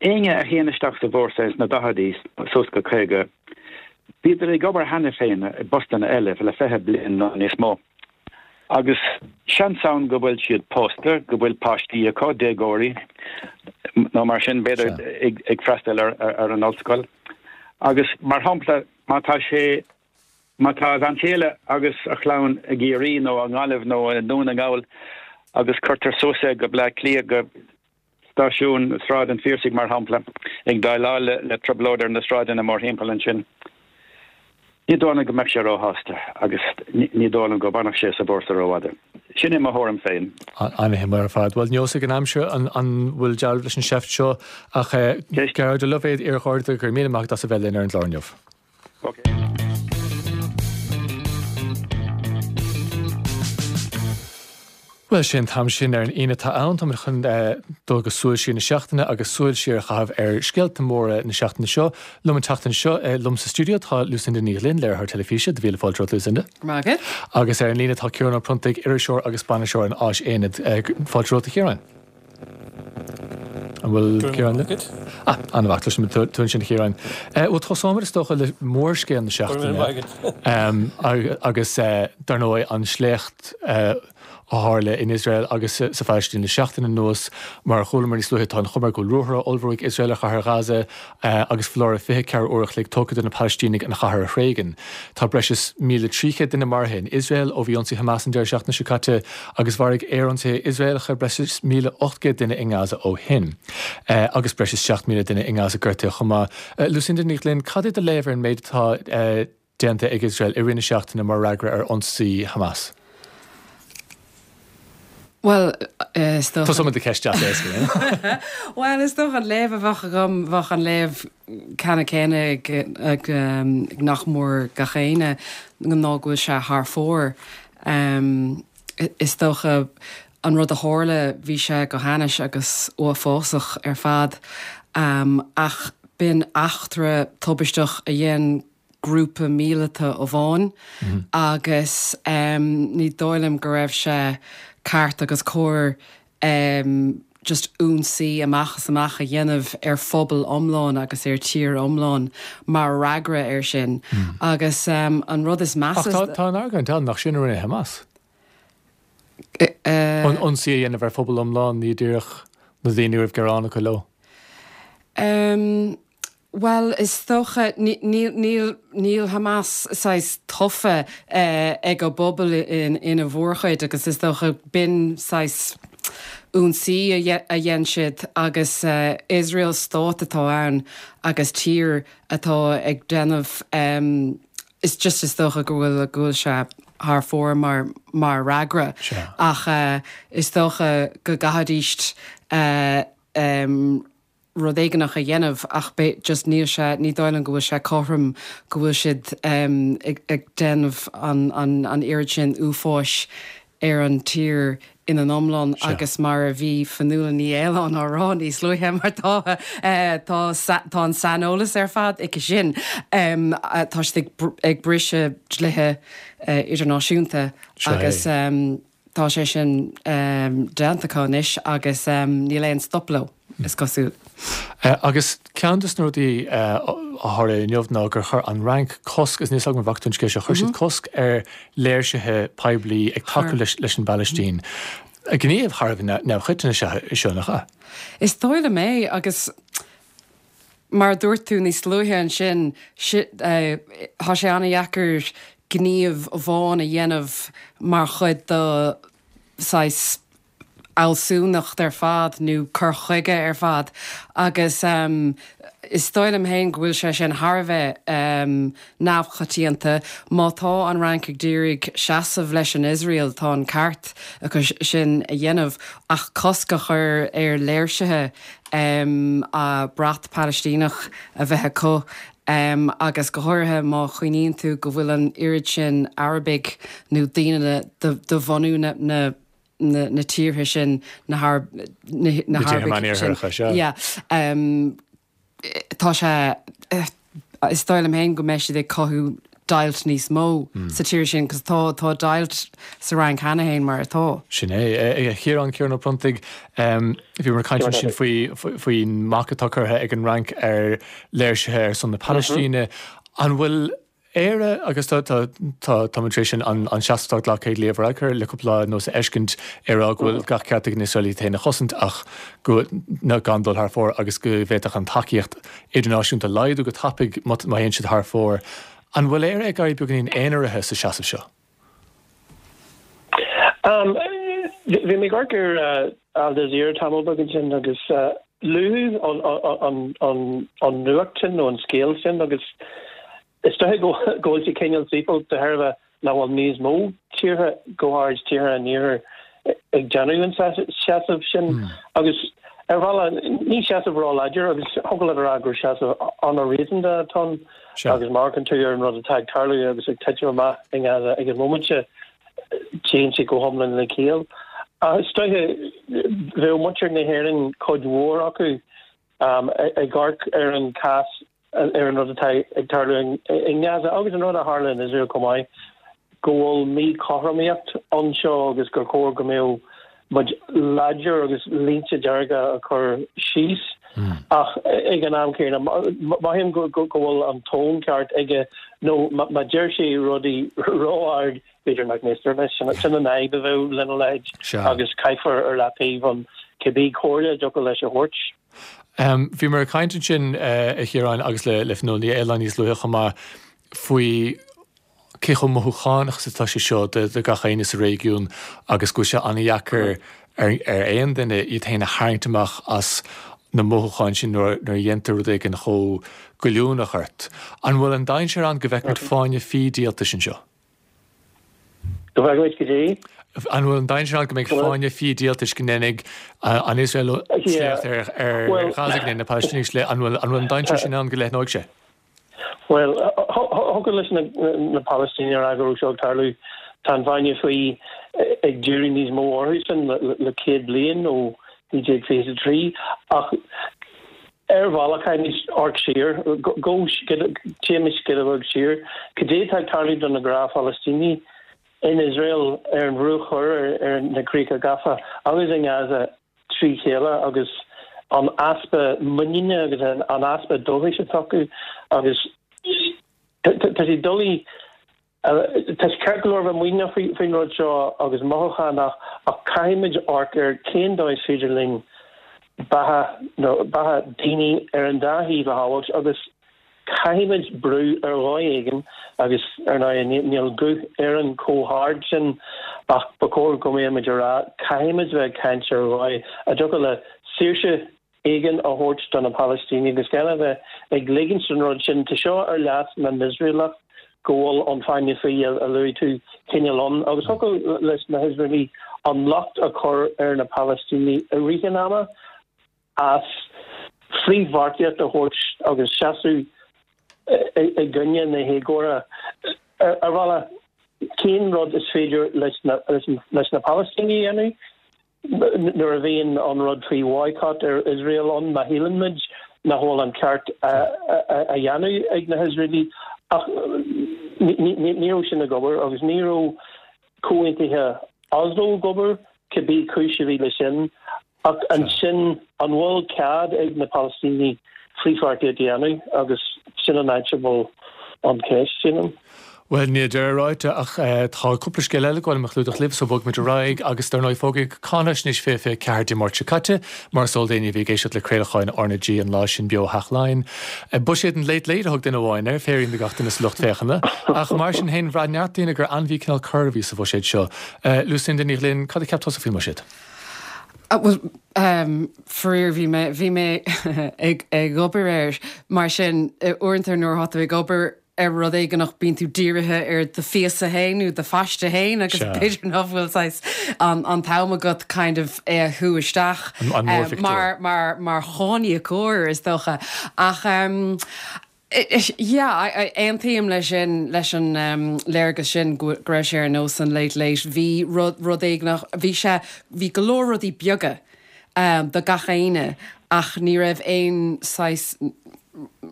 Éinne a théann isteach sa bhfórsa ins na daicheadaí suas go caoga, bhíodar ag obair cheana féin i bpostanna eile le fiche bliain nó níos mó. Agus seans ann go bhfuil siad pósta, go bhfuil páistí acu, déagóirí nó mar sin, b'fhéidir ag ag freastal ar ar an ollscoil. Agus mar shampla, má tá sé má tá a bhean chéile agus a chlann i gCiarraí nó i nGaillimh nó i nDún na nGall agus cuirtear suas é go Bleá Cliath go Stáisiún Sráid an Phiarsaigh, mar shampla, ag déileáil le trioblóid ar na sráideanna mórthimpeall ansin. Ní dóigh liom go mbeadh sé róshásta agus ní dóigh liom go bhfanfadh sé sa bhfórsa rófhada. Sin é mo thuairim féin. An-shuimiúil ar fad. Bhuel, neosfaidh an aimsir an bhfuil dealramh leis an seift seo ach Gearóid Ó Loibhéad, iar-Gharda, go raibh míle maith agat as a bheith linn ar an gclár inniu. Bhuel, sé an t-am sin ar an Aoine atá ann. Táimid chun dul go súil siar na seachtaine agus súil siar a chaitheamh ar scéalta móra na seachtaine seo. Liom an tseachtain seo, liom sa stiúideo tá Lucinda Ní Ghlinn, léiritheoir teilifíse, do mhíle fáilte romhat Lucinda. Maith agat. Agus ar an líne tá Ciarán Ó Pronntaigh, iriseoir agus bainisteoir an Áisaonaid. Fáilte romhat a Chiaráin. An bhfuil Ciarán linn? Ah, an-mhaith, cloisim tú ansin a Chiaráin. Bhuel, tosóimid is dócha le mórscéal na seachtaine agus dar ndóigh an sléacht a tharla in Iosrael agus sa Phalaistín le seachtain anuas. Mar a chualamar níos luaithe, tá an chuma air go bhfuil ruathar á ullmhú ag Iosrael ar chathair Ghaza agus foláireamh fiche ceathair uair a chloig tugtha do na Palaistínigh an chathair a thréigean. Tá breis is míle trí chéad duine maraithe in Iosrael ó bhí ionsaí Hamas an deireadh seachtaine seo caite agus mharaigh aerionsaithe Iosraelacha breis is míle ocht gcéad duine i nGaza ó shin. Agus breis is seacht míle duine i nGaza gortaithe chomh maith. Lucinda Ní Ghlinn, cad é do léamh ar an méid atá déanta ag Iosrael i rith na seachtaine mar fhreagra ar ionsaí Hamas? Bhuel, is dócha. Tosóimid le ceist deas éasca, eh? Bhuel, is dócha an léamh a bheadh agam, bheadh an léamh ceannann céanna ag, ag, ag nach mór gach éinne, ná go bhfuil sé thar fóir. Is dócha an rud a tharla, bhí sé go hainnis agus uafásach ar fad, ach b'in eachtra tubaisteach a dhein grúpa míleata amháin agus ní dóigh liom go raibh sé ceart agus cóir just ionsaí amach is amach a dhéanamh ar phobal iomlán agus ar tír iomlán mar fhreagra air sin. Agus an rud is measa. Ach tá an argóint ann nach sin a rinne Hamas. An ionsaí a dhéanamh ar phobal iomlán, ní díreach na daoine a raibh gearán acu leo. Bhuel, is dócha, níl, níl Hamas saghas tofa ag an bpobal ina mhórchuid agus is dócha b'in saghas ionsaí a dhein siad agus Iosrael stát atá ann agus tír atá ag déanamh is just is dócha go bhfuil, go bhfuil sé thar fóir mar, mar fhreagra ach is dócha go gcaithfidís rud éigineach a dhéanamh ach just níl sé, ní dóigh liom go bhfuil sé cothrom go bhfuil siad ag déanamh an an oiread sin uafáis ar an tír ina n-iomlán agus mar a bhí Fionnuala Ní Aoláin á rá níos luaithe mar tá tá tá an saineolas ar fad aici sin tá siad ag briseadh dlíthe idirnáisiúnta agus Tá sé sin déanta acu anois agus níl aon stop leo, is cosúil. Agus ceann de na rudaí a tharla inniu ná gur chuir an Fhrainc cosc, is níl a fhios agam an bhfaca tú an scéal seo, chuir siad cosc ar léirsithe poiblí ag tacú leis an bPalaistín. Gníomh thar a bheith neamhchoiteann is ea é seo, nach ea? Is dóigh liom é agus mar a dúirt tú níos luaithe ansin, tá sé an-dheacair gníomh amháin a dhéanamh mar chuid de saghas fhealsúnacht ar fad nó cur chuige ar fad agus is dóigh liom féin go bhfuil sé sin thar a bheith neamhchoitianta. Má tá an Fhrainc ag d'iarraidh seasamh leis an Iosrael tá an ceart acu sin a dhéanamh ach cosc a chur ar léirsithe brat Palaistíneach a bheith acu agus go háirithe má chuimhníonn tú go bhfuil an oiread sin Arabaigh nó daoine de bhunú na na tíortha sin, na hArabaigh sin, yeah, tá sé, is dóigh liom féin go mbeidh siad ag cothú deighilt níos mó sa tír sin, cos tá tá deighilt sa Fhrainc cheana féin mar atá. Sin é. A Chiaráin, Ciarán Ó Pronntaigh, bhíomar ag caint ansin faoi faoin mbac atá curtha ag an Fhrainc ar léirsithe ar son na Palaistíne. An bhfuil Éire, agus tá tá tá táimid tar éis an an seasamh atá glactha ag Leo Varadkar le cúpla lá anuas a fheiscint ag rá go bhfuil gach ceart ag na hIosraelaigh iad féin a chosaint ach go ná gan dul thar fóir agus go bhféadfadh an tacaíocht idirnáisiúnta laghdú go tapaidh má théann siad thar fóir. An bhfuil Éire ag éirí beagáinín aonaraithe sa seasamh seo? Bhí mé ag amharc ar Al Jazeera tamall beag ansin agus luadh an nuacht sin nó an scéal sin agus is dóiche go bhfuil sé cineál saoithiúil de thairbhe nach bhfuil níos mó tíortha, go háirid tíortha an Iarthair, ag déanamh an seasamh sin agus ar bhealach ní seasamh ró-láidir agus thiocfadh leat a rá gur seasamh an-réasúnta atá ann agus má amharcann tú ar an rud atá ag tarlú agus ag titim amach i nGaza ag an móimint seo téann sé go hiomlán le ciall. Ach is dóiche bheadh muintir na hÉireann cuid mhór acu ag amharc ar an cás ar an rud atá ag tarlú i nGaza agus an rud a tharla in Iosrael chomh maith, go bhfuil míchothromaíocht anseo agus gur chóir go mbeadh muid láidir agus línte dearga a chur síos. Ach ag an am céanna, mothaím go bhfuil an tón ceart aige nó má deir sé rudaí ró-ard, b'fhéidir nach n-éistear leis. Sin an fhadhb a bheadh lena leithéid agus caithfear ar leataobh an cibé comhairle a dtiocfadh leis a thabhairt. Bhíomar ag caint ansin, a Chiaráin, agus le Fionnuala Ní Fhaoláin níos luaithe chomh maith, faoi cé chomh mothúchánach is atá sé seo do gach éinne sa réigiún agus go bhfuil sé an-dheacair ar aon duine iad féin a tharraingt amach as na mothúcháin sin nuair a dhéantar rud éigin chomh goilliúnach ort. An bhfuil an dainséar ann go bhfeicfimid fáinne fí díoltais anseo? Go bhfeicfimid go dtí? An bhfuil an dainséar ann go mbeidh fáinne fí díoltais go ndéanfaidh an Iosrael sléacht ar Ghaza, go ndéanfaidh na Palaistínigh sléacht, an bhfuil an dainséar sin ann go leathnóidh sé? Bhuel, thiocfadh leis na Palaistínigh a rá go raibh seo ag tarlú. Tá an fáinne fí ag díriú níos mó orthusan le céad bliain ó naoi déag fiche a trí ach ar bhealach caithfimid amharc siar, go téimis giota beag siar. Cad é atá ag tarlú do na gnáth-Phalaistínigh in Iosrael, ar an Bhruach Thoir, ar na Críocha Gafa agus i nGaza trí chéile agus an easpa muiníne agus an easpa dóchais atá acu agus tá sé doiligh, tá sé ceart go leor bheith muiníneach faoin rud seo agus mothúchánach ach caithfimid amharc ar cén dóigh is féidir linn beatha nó beatha daoine ar an dá thaobh a shábháilt agus caithfimid brú ar dhóigh éigin agus ar ndóigh níl guth Éireann chomh hard sin ach ba chóir go mbeadh muid ag rá caithfimid bheith ag caint ar dhóigh a dtiocfadh le saoirse éigin a thabhairt do na Palaistínigh agus gan a bheith ag ligint don rud sin. Tá seo ar leas na nIosraelach go bhfuil an fáinne fí a luaigh tú cineál ann agus thiocfadh leis na hIosraelaigh an locht a chur ar na Palaistínigh i rith an ama as frithbheartaíocht a thabhairt agus seasamh i gcoinne na héagóra. Ar bhealach, cén rud is féidir leis na Palaistínigh a dhéanamh nuair a bhíonn an rud faoi bhoycott ar Iosrael ann, má shíleann muid nach bhfuil an ceart á dhéanamh ag na hIosraelaigh? Ach ní raibh sin ag obair agus ní raibh comhaontuithe Oslo ag obair, cibé cúis a bhí leis sin. Ach ansin, an bhfuil cead ag na Palaistínigh frithbheartaíocht a dhéanamh? Agus sin an áit a bhfuil an cheist, sílim. Bhuel, níl deireadh ráite ach tá cúpla scéal eile ag gabháil liom a chlúdach libh, so bogfaimid ar aghaidh agus dar ndóigh fógraíodh Cáinaisnéis fiche fiche ceathair Dé Máirt seo caite, mar is eol d'éinne a bhí ag éisteacht le craolacháin R na G an lá sin beo ó Theach Laighean. Buiséad an Late Late a thug duine amháin air, féirín do gach duine sa lucht féachana. Ach mar sin féin, bhraith neart daoine gur ainmhí cineál corr a bhí sa bhuiséad seo. Lucinda Ní Ghlinn, cad a cheap tusa faoin mbuiséad? Bhuel, faraor bhí mé, bhí mé ag ag obair air, mar sin uaireanta nuair atá tú ag obair ar rud éigineach bíonn tú dírithe ar do phíosa féin nó do phaiste féin agus b'fhéidir nach bhfuil saghas an an t-am agat kind of é a shú isteach mar mar mar cháiníocóir is dócha. Ach Yeah, aontaím leis sin, leis an léargas sin go raibh sé ar nós an Late Late. Bhí rud, rud éigineach, bhí sé, bhí go leor rudaí beaga do gach éinne ach ní raibh aon saghas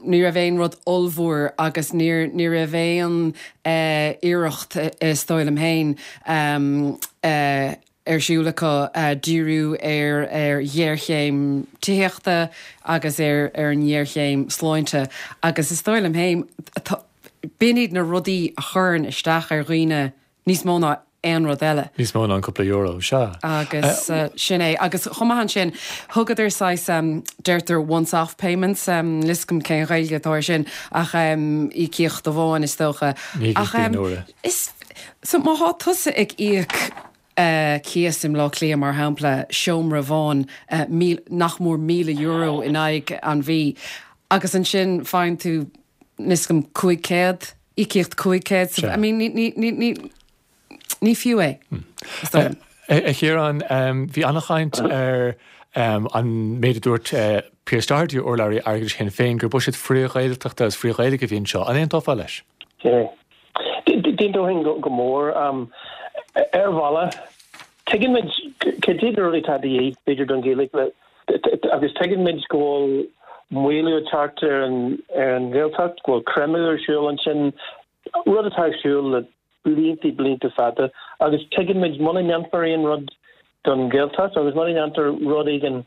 ní raibh aon rud ollmhór agus níor ní raibh aon uh, iarracht is dóigh liom féin um, uh, ar siúl acu uh, díriú ar ar ghéarchéim tithíochta agus ar ar an ngéarchéim sláinte agus is dóigh liom féin b'in iad na rudaí a chuireann isteach ar dhaoine níos mó ná aon rud eile. Níos mó ná an cúpla euro sea. Agus uh, sin é agus chomh maith sin thugadar saghas um, deirtear once off payments um, níl a fhios agam cén Ghaeilge atá sin ach um, íocaíocht amháin is dócha. Ach um, is so má tá tusa ag íoc uh, cíos i mBaile Átha Cliath mar shampla seomra amháin uh, míle, nach mór míle euro in aghaidh an mhí. Agus ansin faigheann tú níos gom cúig chéad íocaíocht cúig chéad so, I mean, ní, ní, ní, ní, ní fiú é. Hmm. A Chiaráin bhí an-chaint ar um, an méid a dúirt uh, Pearse Doherty urlabhraí airgeadais Shinn Féin gur buiséad frith-Ghaeltachta agus frith-Ghaeilge a bhí anseo an aontófá leis. D'aontóinn go mór um, ar bhealach tuigeann muid cad iad na rudaí atá de dhíth b'fhéidir don Ghaeilge agus tuigeann muid go bhfuil maolú ag teacht ar an ar an Ghaeltacht go bhfuil creimeadh ar siúl ansin rud atá ar siúl le blianta blianta fada agus tuigeann muid muna ndéanfar aon rud don Ghaeltacht agus muna ndéantar rud éigin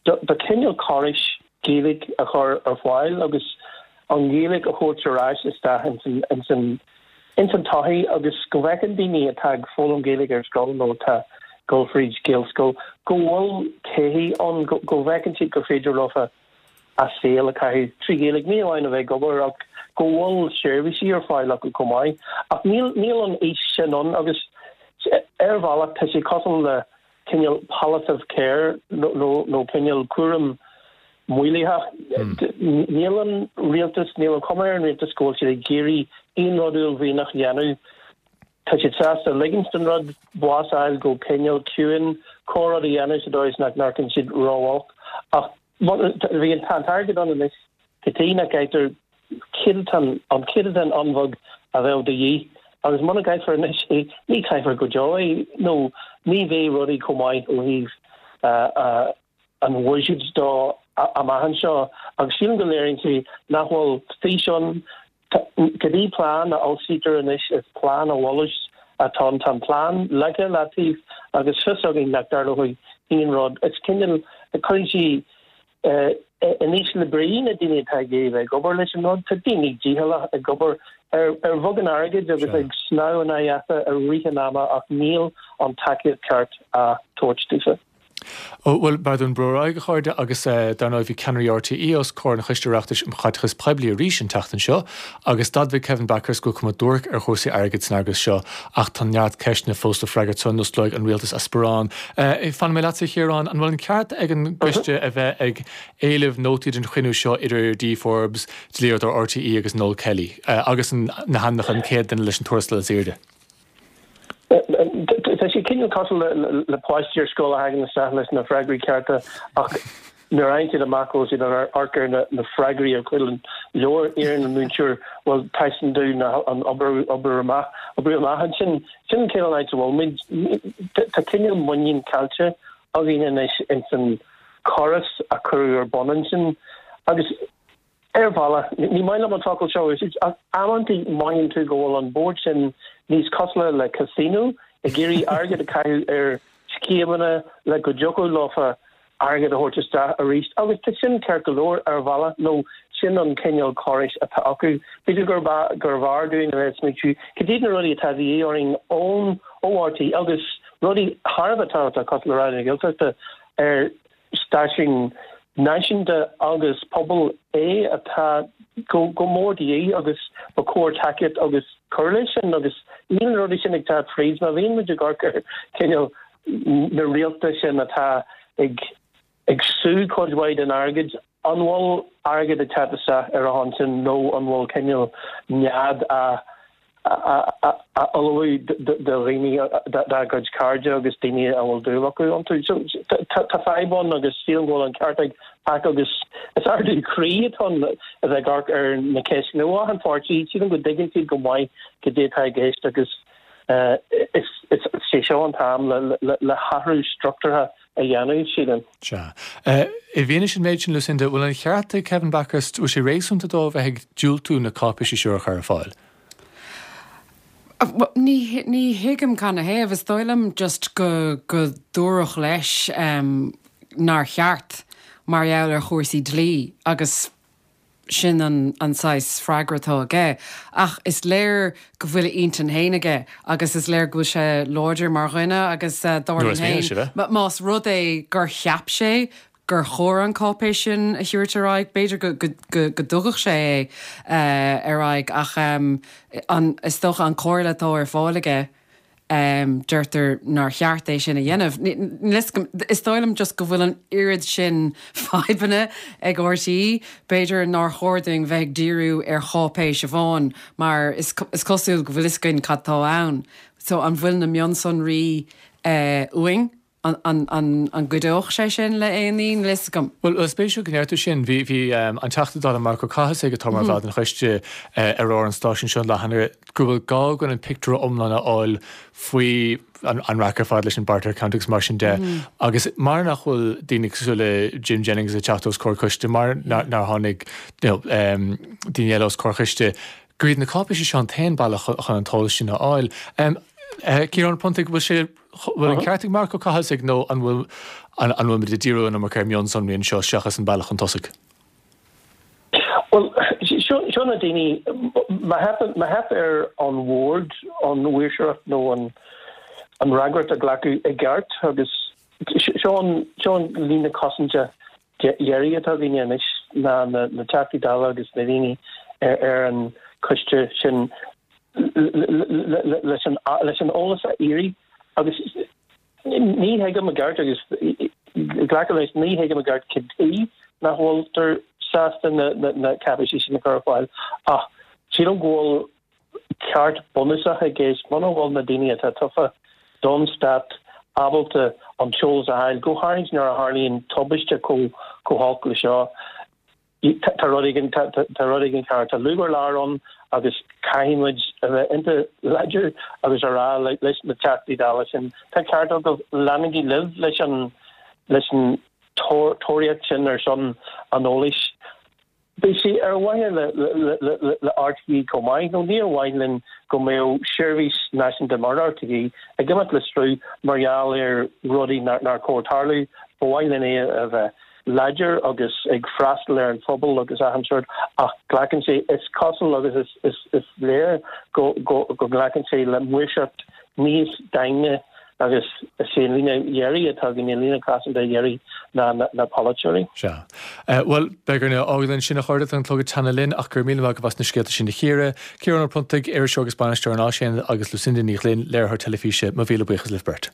do cineál córais Gaeilge a chur ar fáil agus an Ghaeilge a thabhairt ar ais isteach ins an ins an tsochaí agus go bhfeiceann daoine atá ag foghlaim Gaeilge ar scoil nó atá ag dul fríd Gaelscoil go bhfuil todhchaí ann go bhfeiceann siad gur féidir leofa a saol a chaitheamh trí Ghaeilge ní amháin a bheith ag obair ach go bhfuil seirbhísí ar fáil acu chomh maith ach níl níl an fhís sin ann agus ar bhealach tá sé cosúil le cineál palliative care nó nó nó cineál cúram maolaitheach níl an rialtas níl an chuma ar an rialtas go bhfuil siad ag iarraidh aon rud uaillmhianach a dhéanamh tá siad sásta ligint don rud bás a fháil go cineál ciúin corrud a dhéanamh sa dóigh is nach n-amharcann siad róolc ach bhí an tá an t-airgead ann anois go dtí nach gcaitear céatadán an céatadán an-bheag a bheadh de dhíth agus muna gcaithfear anois é ní chaithfear go deo é nó ní bheidh rudaí chomh maith ó thaobh an bhuiséid de amach anseo agus sílim go léiríonn sé nach bhfuil fís ann cibé plean a fhoilsítear anois is plean a bhunús atá ann tá an plean leagtha leataobh agus fios againn nach dtarlóidh aon rud is cineál cuireann sí in ísle brí na daoine atá ag iarraidh ag obair leis an rud tá daoine dícheallach ag obair ar ar bheagán airgid agus ag snámh in aghaidh easa i rith an ama ach níl an tacaíocht ceart á tabhairt daofa. Ó, bhuel, b'fhearr dúinn brú ar aghaidh, a chairde, agus dar ndóigh bhí ceannairí RTÉ os comhair an Choiste Oireachtais um Chaiteachas Poiblí arís an tseachtain seo agus d'admhaigh Kevin Bakhurst go bhfuil cuma duairc ar chúrsaí airgid san eagras seo ach tá neart ceisteanna fós le freagairt sula n-osclóidh an rialtas a sparán. Fanfaidh mé leatsa, a Chiaráin, an bhfuil an ceart ag an gcoiste a bheith ag éileamh nótaí den chruinniú seo idir Dee Forbes, dlíodóir RTÉ agus Noel Kelly agus na hainmneacha an chéad duine leis an tuarastal is airde? Tá sé cineál cosúil le páistí ar scoil a thagann isteach leis na freagraí cearta ach nuair a fhaigheann siad amach go bhfuil siad ag amharc ar na freagraí ar chúl an leabhair, iarrann an múinteoir bhuel taispeáin dúinn an obair obair amach oibriú amach ansin. Sin an cineál áit a bhfuil muid. Tá cineál muinín caillte againn anois ins an córas a cuireadh ar bun ansin agus Ar bhealach, ní maith liom an focal seo a úsáid, ach amantaí mothaíonn tú go bhfuil an bord sin níos cosúla le casino, ag iarraidh airgead a chaitheamh ar scéimeanna le go dtiocfadh leofa airgead a thabhairt isteach arís. Agus tá sin ceart go leor ar bhealach, nó sin an cineál córais atá acu. B'fhéidir gurbh fhearr dúinn a bheith ag smaointiú cad iad na rudaí atá de dhíth orainn ón ó RTÉ agus rudaí thar a bheith tábhachtach cosúil le Raidió na Gaeltachta ar stáisiún náisiúnta agus pobail é atá go mór de dhíth agus ba chóir tacaíocht agus cur leis sin agus níl na rudaí sin ag teacht fríd má bhíonn muid ag amharc ar cineál na réalta sin atá ag ag sú cuid mhaith den airgead, an bhfuil airgead ag teacht isteach ar a shon sin nó an bhfuil cineál nead á a ullmhú do dhaoine dá gcuid cairde agus daoine a bhfuil dúil acu iontu. So tá fadhb ann agus sílim go bhfuil an ceart ag Pac agus is ardú croí atá ann a bheith ag amharc ar na ceisteanna ó achan pháirtí. Sílim go dtuigeann siad go maith cad é atá i gceist agus Is é seo an t-am le hathrú struchtúrtha a dhéanamh, sílim. Sea. I bhfianaise an méid sin, Lucinda, bhfuil an cheart ag Kevin Bakhurst, bhfuil sé réasúnta dó a bheith ag diúltú na cáipéisí seo a chur ar fáil? Ní ní thuigim canathaobh. Is dóigh liom just go go dúradh leis nár cheart mar gheall ar chúrsaí dlí agus sin an an saghas freagra atá aige. Ach is léir go bhfuil a intinn féin aige agus is léir go bhfuil sé láidir mar dhuine agus dar liom féin más rud é gur cheap sé gur chóir an cáipéis sin a thabhairt ar aghaidh, b'fhéidir go go go dtugadh sé é ar aghaidh ach an is dócha an comhairle atá ar fáil aige deirtear nár cheart é sin a dhéanamh. Is dóigh liom just go bhfuil an oiread sin fadhbanna ag R T É, b'fhéidir nár chóir dúinn bheith ag díriú ar cháipéis amháin mar is is cosúil go bhfuil fhios againn cad tá ann. So an bhfuil na mionsonraí uainn? An an an an gcuideodh sé sin le aon ní? Níl fhios agam. Bhuel, is spéisiúil go ndeir tú sin. Bhí bhí an Teachta Dála Marc Ó Cathasaigh, atá mar bhall den choiste ar ar an stáisiún seo an lá cheana, go bhfuil gá againn an pictiúr iomlán a fháil faoi an an raic ar fad leis an barter account agus mar sin de. Agus mar nach bhfuil daoine cosúil le Jim Jennings ag teacht os comhair coiste, mar nár tháinig you know, um, daoine eile os comhair coiste, gur iad na cáipéisí seo an t-aon bealach chun an t-eolas sin a fháil. Um, uh, Ciarán Ó Pronntaigh, bhfuil sé bhfuil an ceart ag Marc Ó Cathasaigh nó an bhfuil an an bhfuil muid ag díriú an iomarca ar mhionsonraí anseo seachas an bealach chun tosaigh? Well, seo na daoine má theip ar an bhord an mhaoirseacht nó an an fhreagracht a ghlacadh i gceart agus seo an líne cosanta dheiridh atá againne anois ná na na Teachtaí Dála agus na daoine ar, ar an choiste sin leis an leis an eolas a iarraidh agus ní thuigim i gceart agus glacadh leis ní thuigim i gceart cad chuige nach bhfuiltear sásta na na na cáipéisí sin a chur ar fáil ach sílim go bhfuil ceart bunúsach i gceist muna bhfuil na daoine atá tofa don stát ábalta an t-eolas a fháil go háirithe nuair a tharlaíonn tubaiste chomh chomh holc le seo tá rud éigin tá rud éigin ceart tá lúb ar lár ann agus caithfidh muid a bheith iontach láidir agus a rá leis na Teachtaí Dála sin tá ceart agaibh leanaigí libh leis an leis an tóraíocht sin ar son an eolais. Beidh sé ar mhaithe le le le R T É chomh maith nó níor mhaith linn go mbeadh seirbhís náisiúnta mar R T É ag imeacht le strú mar gheall ar rudaí nár chóir tarlú, ba mhaith linn é a bheith láidir agus ag freastal ar an phobal agus achan sórt ach glacann sé is cosúil agus is is is léir go go go nglacann sé le maoirseacht níos daingne agus is é an líne dheiridh atá againn an líne cosanta dheiridh ná na, na polaiteoirí. Sea. Uh, Well beidh orainn fágáil ansin a chairde an clog ag teannadh linn ach gur míle maith agaibh as na scéalta sin a chíoradh, Ciarán Ó Pronntaigh, iriseoir agus bainisteoir an Áisaonad agus Lucinda Ní Ghlinn, léiritheoir teilifíse mo mhíle buíochas libh beirt.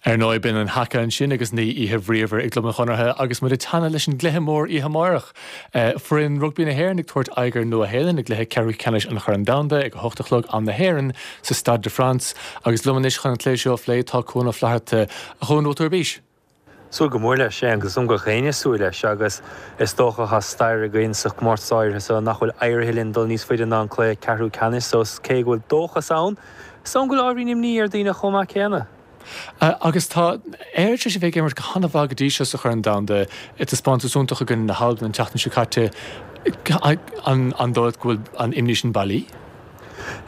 Ar ndóigh b'in an haka ansin agus ní oíche bhríomhar i gClub an Chonartha agus muid ag teannadh leis an gcluiche mór oíche amárach. Foireann rugbaí na hÉireann ag tabhairt aghaidh ar Nua-Shéalainn i gcluiche ceathrú ceannais an Chorn Domhanda ag a hocht a chlog am na hÉireann sa Stade de France agus liom anois chun an cluiche seo a phlé tá Cuan Ó Flatharta a Chuain bhfuil tú ar bís. Súil go mór leis, agus um gach éinne súil leis agus is dócha tá stair againn sa chomórtas áirithe so nach bhfuil éirithe linn dul níos faide ná an cluiche ceathrú ceannais so cé go bhfuil dóchas ann, is ann go bhfuil ábhairín imní ar daoine chomh maith céanna. Agus tá Éire tar éis a bheith ag imirt go han-mhaith go dtí seo sa Chorn Domhanda, taispeántas iontach i gcoinne na hAlban an tseachtain seo caite. An dóigh leat go bhfuil an imní sin bailí?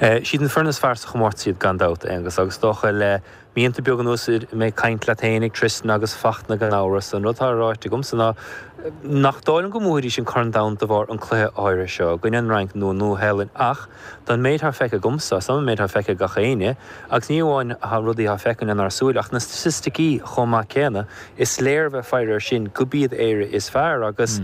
Siad an foireann is fearr sa chomórtas iad gan dabht, Aonghus, agus dócha le míonna beaga anuas mé ag caint leat féin ag Tristan agus Fachtna gan amhras, an rud atá ráite agamsa ná nach dóigh liom go mbuafaidís an Corn Domhanda de bharr an cluiche áirithe seo i gcoinne an Fhrainc nó an Nua-Shéalainn ach don méid atá feicthe agamsa, is an méid atá feicthe ag gach éinne, agus ní amháin rudaí atá feicthe lenár súile ach na staitisticí chomh maith céanna, is léir bheith faire air sin gurb iad Éire is fearr agus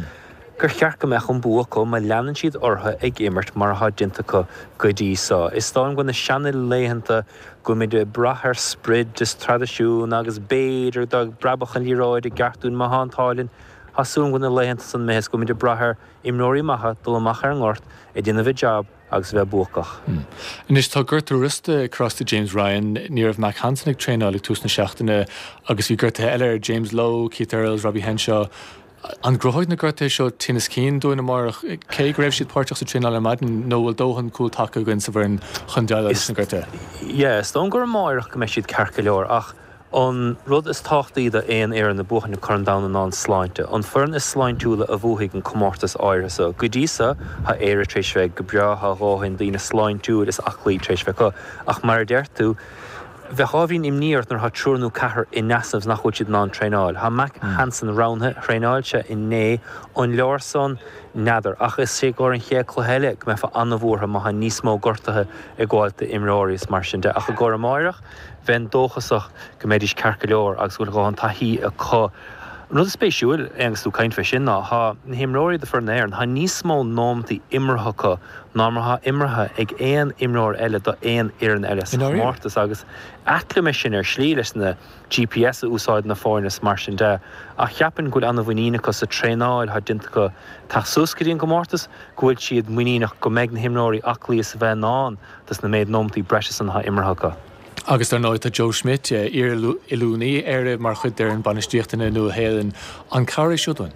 gur cheart go mbeadh an bua acu má leanann siad orthu ag imirt mar atá déanta acu go dtí seo. Is dóigh liom go bhfuil na seana-laethanta go bhfuil muid ag brath ar sprid is traidisiún agus b'fhéidir dá bpreabfadh an liathróid i gceart dúinn má tá an t-ádh linn, tá súil agam go bhfuil na laethanta san imithe is go bhfuil muid ag brath ar imreoirí maithe dul amach ar an ngort ag déanamh a jab. agus a bheith buacach. Anois tá gortú rosta ag cur as do James Ryan, ní raibh Mack Hansen ag traenáil ag tús na seachtaine agus bhí gortuithe eile ar James Lowe, Keith Earls, Robbie Henshaw. An gcruthóidh na gortuithe seo tinneas cinn dúinn amárach, cé go raibh siad páirteach sa traenáil ar maidin, nó bhfuil dóthain cúltaca againn sa bhfoireann chun déileáil leis na gortuithe? Yeah, is dóigh gur amárach go mbeidh siad ceart go leor ach an rud is tábhachtaí do aon fhoireann ag buachan an Corn Domhanda ná an sláinte. An foireann is sláintiúla a bhuafaidh an comórtas áirithe so. Go dtí so, tá Éire tar éis bheith go breá, tá a dhóthain daoine sláintiúil is aclaí tar éis bheith acu. Ach mar a deir tú, bheadh ábhairín imní ort nuair atá triúr nó ceathrar in easnamh is nach bhfuil siad in ann traenáil. Tá Mack Hansen roghnaithe, thraenáil sé inné, an leor san? N'fheadar. Ach is é i gcomhair an chéad cluiche eile go mbeifeá an-bhuartha má tá níos mó gortuithe ag gabháilt d'imreoirí is mar sin de. Ach i gcomhair amáireach, bheinn dóchasach go mbeidís ceart go leor agus go bhfuil a dhóthain taithí acu. An rud is spéisiúil, Aonghus, tú ag caint fé sin, ná tá na himreoirí do foireann na hÉireann, tá níos mó nóimeataí imeartha acu ná mar atá imeartha ag aon imreoir eile do aon fhoireann eile sa chomórtas agus ait liom é sin ar shlí leis na GPS a úsáideann na foirne is mar sin de ach cheapfainn go bhfuil an-mhuinín acu sa traenáil atá déanta acu teacht suas go dtí an gcomórtas, go bhfuil siad muiníneach go mbeidh na himreoirí aclaí is a bheith in ann dos na méid nóimeataí breise san atá imeartha acu. Agus dar ndóigh tá Joe Schmidt, iar-oiliúnaí Éire, mar chuid d'fhoireann bainistíochta na Nua-Shéalainne. An cabhair é seo dúinn?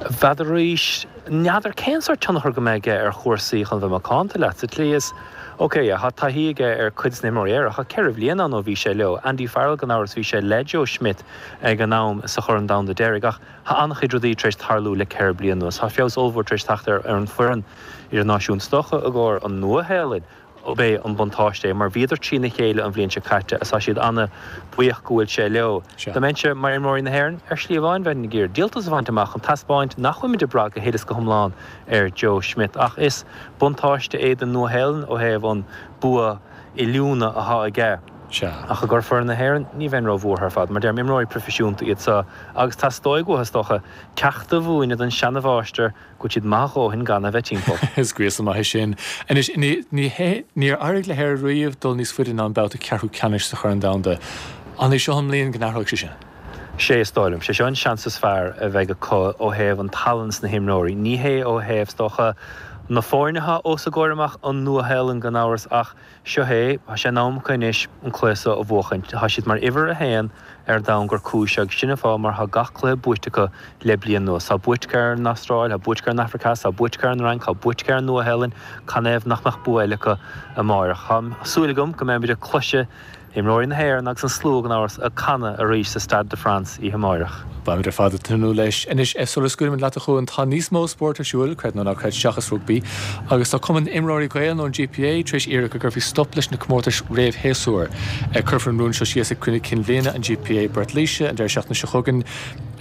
N'fheadar arís, n'fheadar cén sórt tionchar go mbeidh aige ar chúrsaí chun bheith macánta leat, sa tslí is, ok, yeah, tá taithí aige ar cuid de na himreoirí Éireannacha, ceithre bhliain ann ó bhí sé leo. Andy Farrell gan amhras, bhí sé le Joe Schmidt ag an am sa Chorn Domhanda deiridh ach tá an-chuid rudaí tar éis tarlú le ceithre bliana anuas. Tá feabhas ollmhór tar éis teacht ar an bhfoireann idirnáisiúnta. Is dócha i gcomhair an Nua-Shéalainn, ab é an buntáiste é mar bhíodar trína chéile an bhliain seo caite agus tá siad ana-bhuíoch go bhfuil sé leo. Dá mbeinnse mar imreoirí na hÉireann, ar shlí amháin bheinn ag iarraidh díoltas a bhaint amach chun taispeáint nach bhfuilimid ag brath go huile is go hiomlán ar Joe Schmidt ach is buntáiste é don Nua-Shéalainn ó thaobh an bua oiliúna atá aige. Ach i gcomhair foireann na hÉireann, ní bheinn ró-bhuartha ar fad. Mar deirim, imreoirí proifisiúnta iad seo agus teastóidh uathu, is dócha, ceacht a mhúineadh don seanamháistir go bhfuil siad maith a dhóthain gan a bheith timpeall. Is gríosadh maith é sin. Anois, ní hé, níor éirigh le hÉire riamh dul níos faide ná an babhta ceathrú ceannais sa Chorn Domhanda. An é seo an mbliain go n-athróidh sé sin? Sé is dóigh liom. Sé seo an seans is fearr a bheidh acu ó thaobh an tallann sna himreoirí. Ní hé ó thaobh, is dócha, na foirne atá os a gcomhair amach, an Nua-Shéalainn gan amhras, ach seo é, tá sé in am acu anois an cluiche seo a bhuachaint. Tá siad mar uimhir a haon ar domhan gur cúis agus sin an fáth mar tá gach cluiche buaite acu le bliain anuas. Tá buaite acu ar an Astráil, tá buaite acu ar an Afraic Theas, tá buaite acu ar an Fhrainc, tá buaite acu ar an Nua-Shéalainn, canathaobh nach mbeadh bua eile acu amáireach? Tá súil agam go mbeimid ag cloiseadh imreoirí na hÉireann agus an slua gan amhras ag canadh arís sa Stade de France oíche amáireach. Beimid ar fad ag tnúth leis. Anois, sula scaoilimid leat a Chuain, tá níos mó spóirt ar siúl, creid nó ná creid, seachas rugbaí, agus tá Cumann Imreoirí Gael, nó an GPA, tar éis iarraidh go gcuirfí stop leis na comórtais réamhshéasúir. Cuirfear an rún seo síos ag cruinniú cinn bhliana an GPA i bPort Laoise an deireadh seachtaine seo chugainn,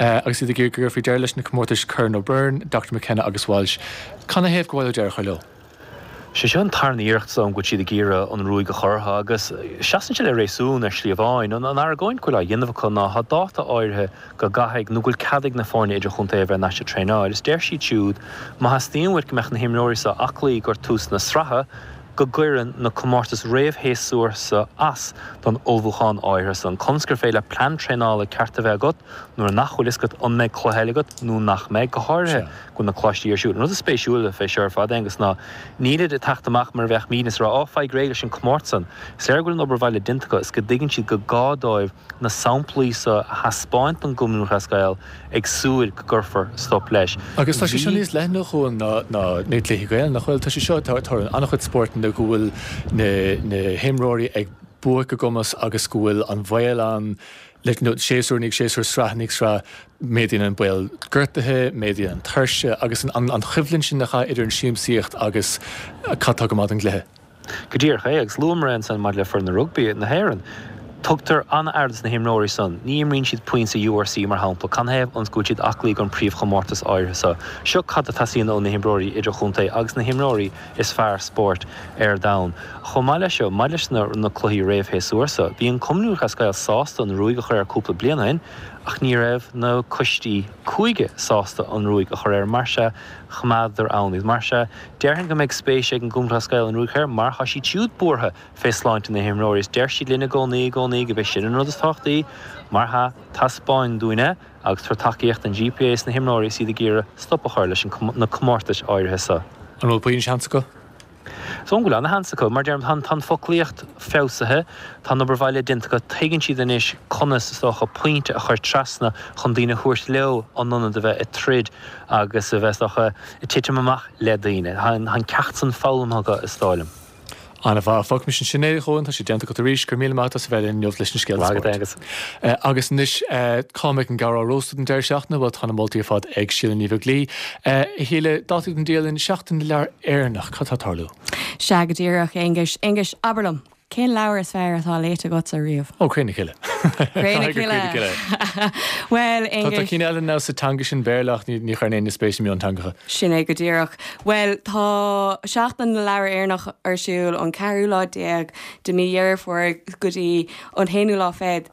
agus iad ag iarraidh go gcuirfí deireadh leis na comórtais Curran O'Byrne, Doctor McKenna agus Walsh. Canathaobh gur mhaith leo deireadh a chur leo? Sé seo an tarna iarracht is dóigh liom go bhfuil siad ag iarraidh an ruaig a chur orthu agus seasann sé le réasún ar shlí amháin. An argóint go bhfuil á dhéanamh acu ná tá dáta áirithe go gcaithfidh nó go bhfuil cead ag na foirne idirchontae a bheith thar n-ais ag traenáil is deir siad siúd má theastaíonn uait go mbeadh na himreoirí seo aclaí gur tús na sraithe go gcuireann na comórtais réamhshéasúir seo as don ullmhúchán áirithe san. Conas gur féidir leat plean traenála ceart a bheith agat nuair nach bhfuil fhios agat an mbeidh cluiche eile agat nó nach mbeidh, go háirithe go bhfuil na coláistí ar siúl. An rud is spéisiúla fé seo ar fad, Aonghus, ná nílid ag teacht amach mar a bheadh mín is ag rá, Á, faigh réidh leis an comórtas san. Is léir go bhfuil an obair bhaile déanta acu is go dtuigeann siad go gá dóibh na samplaí seo a thaispeáint don gCumann Lúthchleas Gael ag súil go gcuirfear stop leis. Agus tá sé seo níos leithne, a Chuain, ná na cluichí Gael, nach bhfuil? Tá sé seo, tá in an-chuid spórtanna go bhfuil na na himreoirí ag buaic a gcumas agus go bhfuil an baol ann le nó séasúr i ndiaidh séasúir, sraith i ndiaidh sraith, méadaíonn an baol gortaithe, méadaíonn an tuirse agus an an choimhlint sin nach ea idir an siamsaíocht agus cad tá go maith don gcluiche. Go díreach é, agus luamar é ansan maidir le foireann rugbaí na hÉireann. Tugtar an-aire dos na himreoirí san. Ní imríonn siad pointe URC, mar shampla, canathaobh ionas go bhfuil siad aclaí don príomhchomórtas áirithe seo. Seo cad a teastaíonn ó na himreoirí idirchontae agus na himreoirí is fearr spóirt ar domhan. Chomh maith leis seo, maidir leis na cluichí réamhshéasúir seo, bhí an Cumann Lúthchleas Gael sásta an ruaig a chur air cúpla bliain ó shin ach ní raibh na coistí cúige sásta an ruaig a chur air, mar sea, choimeádadar ann iad. Mar sea, déarfainn go mbeidh spéis ag an gCumann Lúthchleas Gael an ruaig a chur air mar tá siad siúd buartha fé sláinte na himreoirí is deir siad linn i gcónaí, i gcónaí go b'é sin an rud is tábhachtaí. Mar sea, taispeáin dúinn é agus tabhair tacaíocht don GPA is na himreoirí is iad ag iarraidh stop a chur leis na comórtais áirithe seo. An bhfuil puinn seans acu? Is dóigh liom go bhfuil ana-sheans acu. Mar deirim, tá an foclaíocht feabhsaithe, tá an obair bhaile déanta acu, tuigeann siad anois conas, is dócha, pointe a chur trasna chun daoine a thabhairt leo in ionad a bheith ag troid agus a bheith, is dócha, ag titim amach le daoine. Tá an ceacht san foghlamtha acu, is dóigh liom. An-mhaith. Fágfaimis ansin é, a Chuain, tá sé déanta agat arís. Go raibh míle maith agat as a bheith linn inniu leis na scéalta spóirt. Maith agat, Aengus. Agus anois, cá mbeidh an gearr á róstadh an deireadh seachtaine? Bhuel, tá na moltaí ar fad ag Síle Ní Bheaglaoi. A Shíle, dátaí don dialann, Seachtain na Leabhar Éireannach, cad tá ag tarlú? Sea, go díreach, a Aonghuis. Aonghus, abair liom, cén leabhar is fearr atá léite agatsa riamh? Ó, Cré na Cille. Cré na Cille. Bhuel, Aonghus. Tá cinn eile now sa teanga sin Béarla ach ní chuireann éinne spéis i mionteangacha. Sin é go díreach. Bhuel, tá Seachtain na Leabhar Éireannach ar siúl ón ceathrú lá déag de mí Dheireadh Fómhair go dtí an haonú lá fichead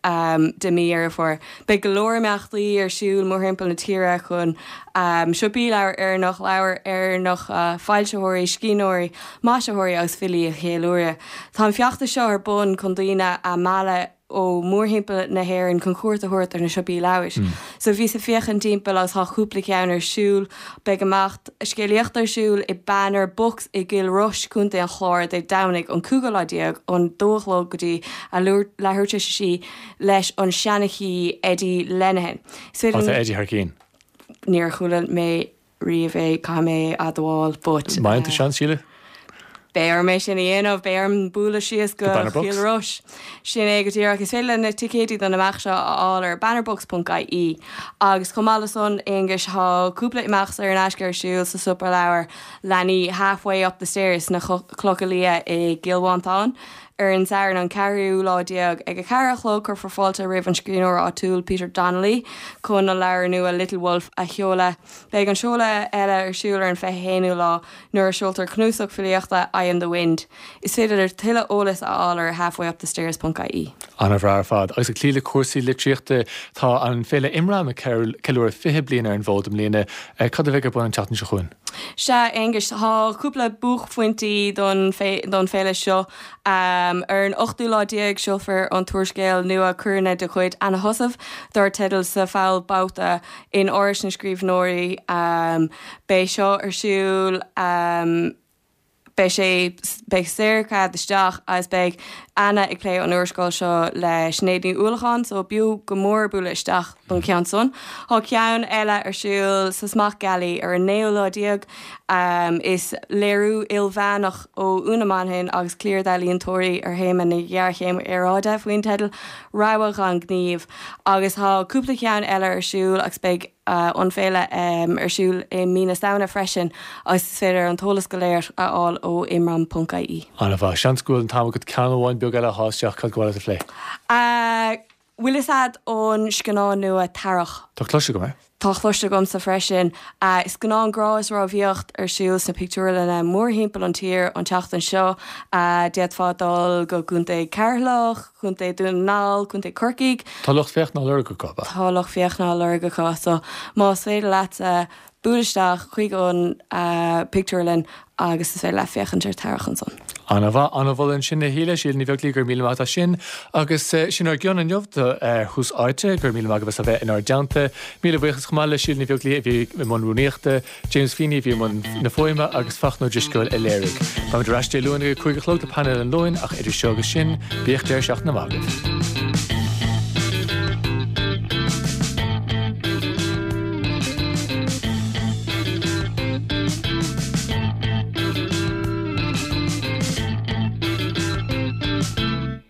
de mí Dheireadh Fómhair. Beidh go leor imeachtaí ar siúl mórthimpeall na tíre chun siopaí leabhar Éireannach, leabhair Éireannacha, foilsitheoirí, scríbhneoirí, maisitheoirí agus filí a cheiliúradh. Tá an feachtas seo ar bun chun daoine a mhealladh ó mórthimpeall na hÉireann chun cuairt a thabhairt ar na siopaí leabhar. So bhíos ag féachaint timpeall agus tá cúpla ceann ar siúl. Beidh imeacht scéalaíochta ar siúl i Banner Books i gCill Rois, Contae an Chláir, Dé Domhnaigh an cúigiú lá déag ón dó a chlog go dtí a leathuair tar éis a sé leis an seanchaí Eddie Lenihan. Is féidir. Tá Eddie thar cinn. Níor chuala mé riamh é, caithfidh mé a admháil, but. Má fhaigheann tú seans, Síle? Beidh orm é sin a dhéanamh, beidh orm bualadh síos go Cill Rois. Sin é go díreach. Is féidir le na ticéidí don imeacht seo a fháil ar bannerbooks ponc ie. Agus chomh maith le san, Aonghus, tá cúpla imeacht saor in aisce ar siúl sa siopa leabhar leanaí Halfway Up the Stairs sna Clocha Liath i gCill Mhantáin ar an Satharn an ceathrú lá déag ag a ceathair a chlog. Cuirfear fáilte roimh an scríbhneoir áitiúil Peter Donnelly chun a leabhar nua Little Wolf a sheoladh. Beidh an seoladh eile ar siúl ar an fiche haonú lá nuair a seoltar cnuasach filíochta I Am The Wind. Is féidir tuilleadh eolais a fháil ar halfwayupthestairs ponc ie. An-bhreá ar fad. Agus ag cloí le cúrsaí litríochta, tá an Féile Imram ag ceiliúradh fiche bliain ar an bhfód i mbliana. Cad a bheidh ar bun an tseachtain seo chugainn? Sea, Aonghus, tá cúpla buaicphointí don don féile seo. Ar an ochtú lá déag seolfar an t-úrscéal nua coireanna de chuid Anna Heussaff dar teideal Sa Pholl Babhta in Áras na Scríbhneoirí. Beidh seo ar siúl, beidh sé, beidh saorchead isteach agus beidh Anna ag plé an úrscéil seo le Sinéad Ní Uallacháin so b'fhiú go mór bualadh isteach don cheann san. Tá ceann eile ar siúl sa Smock Alley ar an naoú lá déag. Is léiriú ilmheánach ó Úna Manhain agus cliar d'ealaíontóirí ar théama na géarchéime aeráide faoin teideal 'Rogha gan Ghníomh' agus tá cúpla ceann eile ar siúl agus beidh an féile ar siúl i mí na Samhna freisin agus is féidir an t-eolas go léir a fháil ó imram ponc ie. An-mhaith. Seans go bhfuil an t-am agat ceann amháin beag eile a shá isteach, cad ba mhaith leat a phlé? Bhfuil fhios a'd an scannán nua Tarrac? Tá cloiste agam air. Tá cloiste agamsa freisin. Is scannán grá is rámhaíocht ar siúl sna pictiúrlanna mórthimpeall an tír an tseachtain seo. D'fhéadfá dul go Contae Ceatharlach, Contae Dún na nGall, Contae Corcaigh. Tá lucht féachana á lorg acu, ab ea? Tá lucht féachana á lorg acu so más féidir leatsa buail isteach chuig an pictiúrlann agus is féidir leat féachaint ar Tarrac ansan. An-mhaith, an-mholadh ansin a Shíle, Síle Ní Bheaglaoi, go raibh míle maith agat as sin. Agus sin ár gcion inniu do Thús Áite, go raibh míle maith agaibh as a bheith inár dteannta. Míle buíochas chomh maith le Síle Ní Bheaglaoi a bhí i mbun rúnaíochta, James Feeney a bhí i mbun na fuaime agus Fachtna Ó Drisceoil a léirigh. Beimid ar ais Dé Luain ag a cúig a chlog le Painéal an Luain ach idir seo agus sin, bíodh deireadh seachtaine maith agaibh.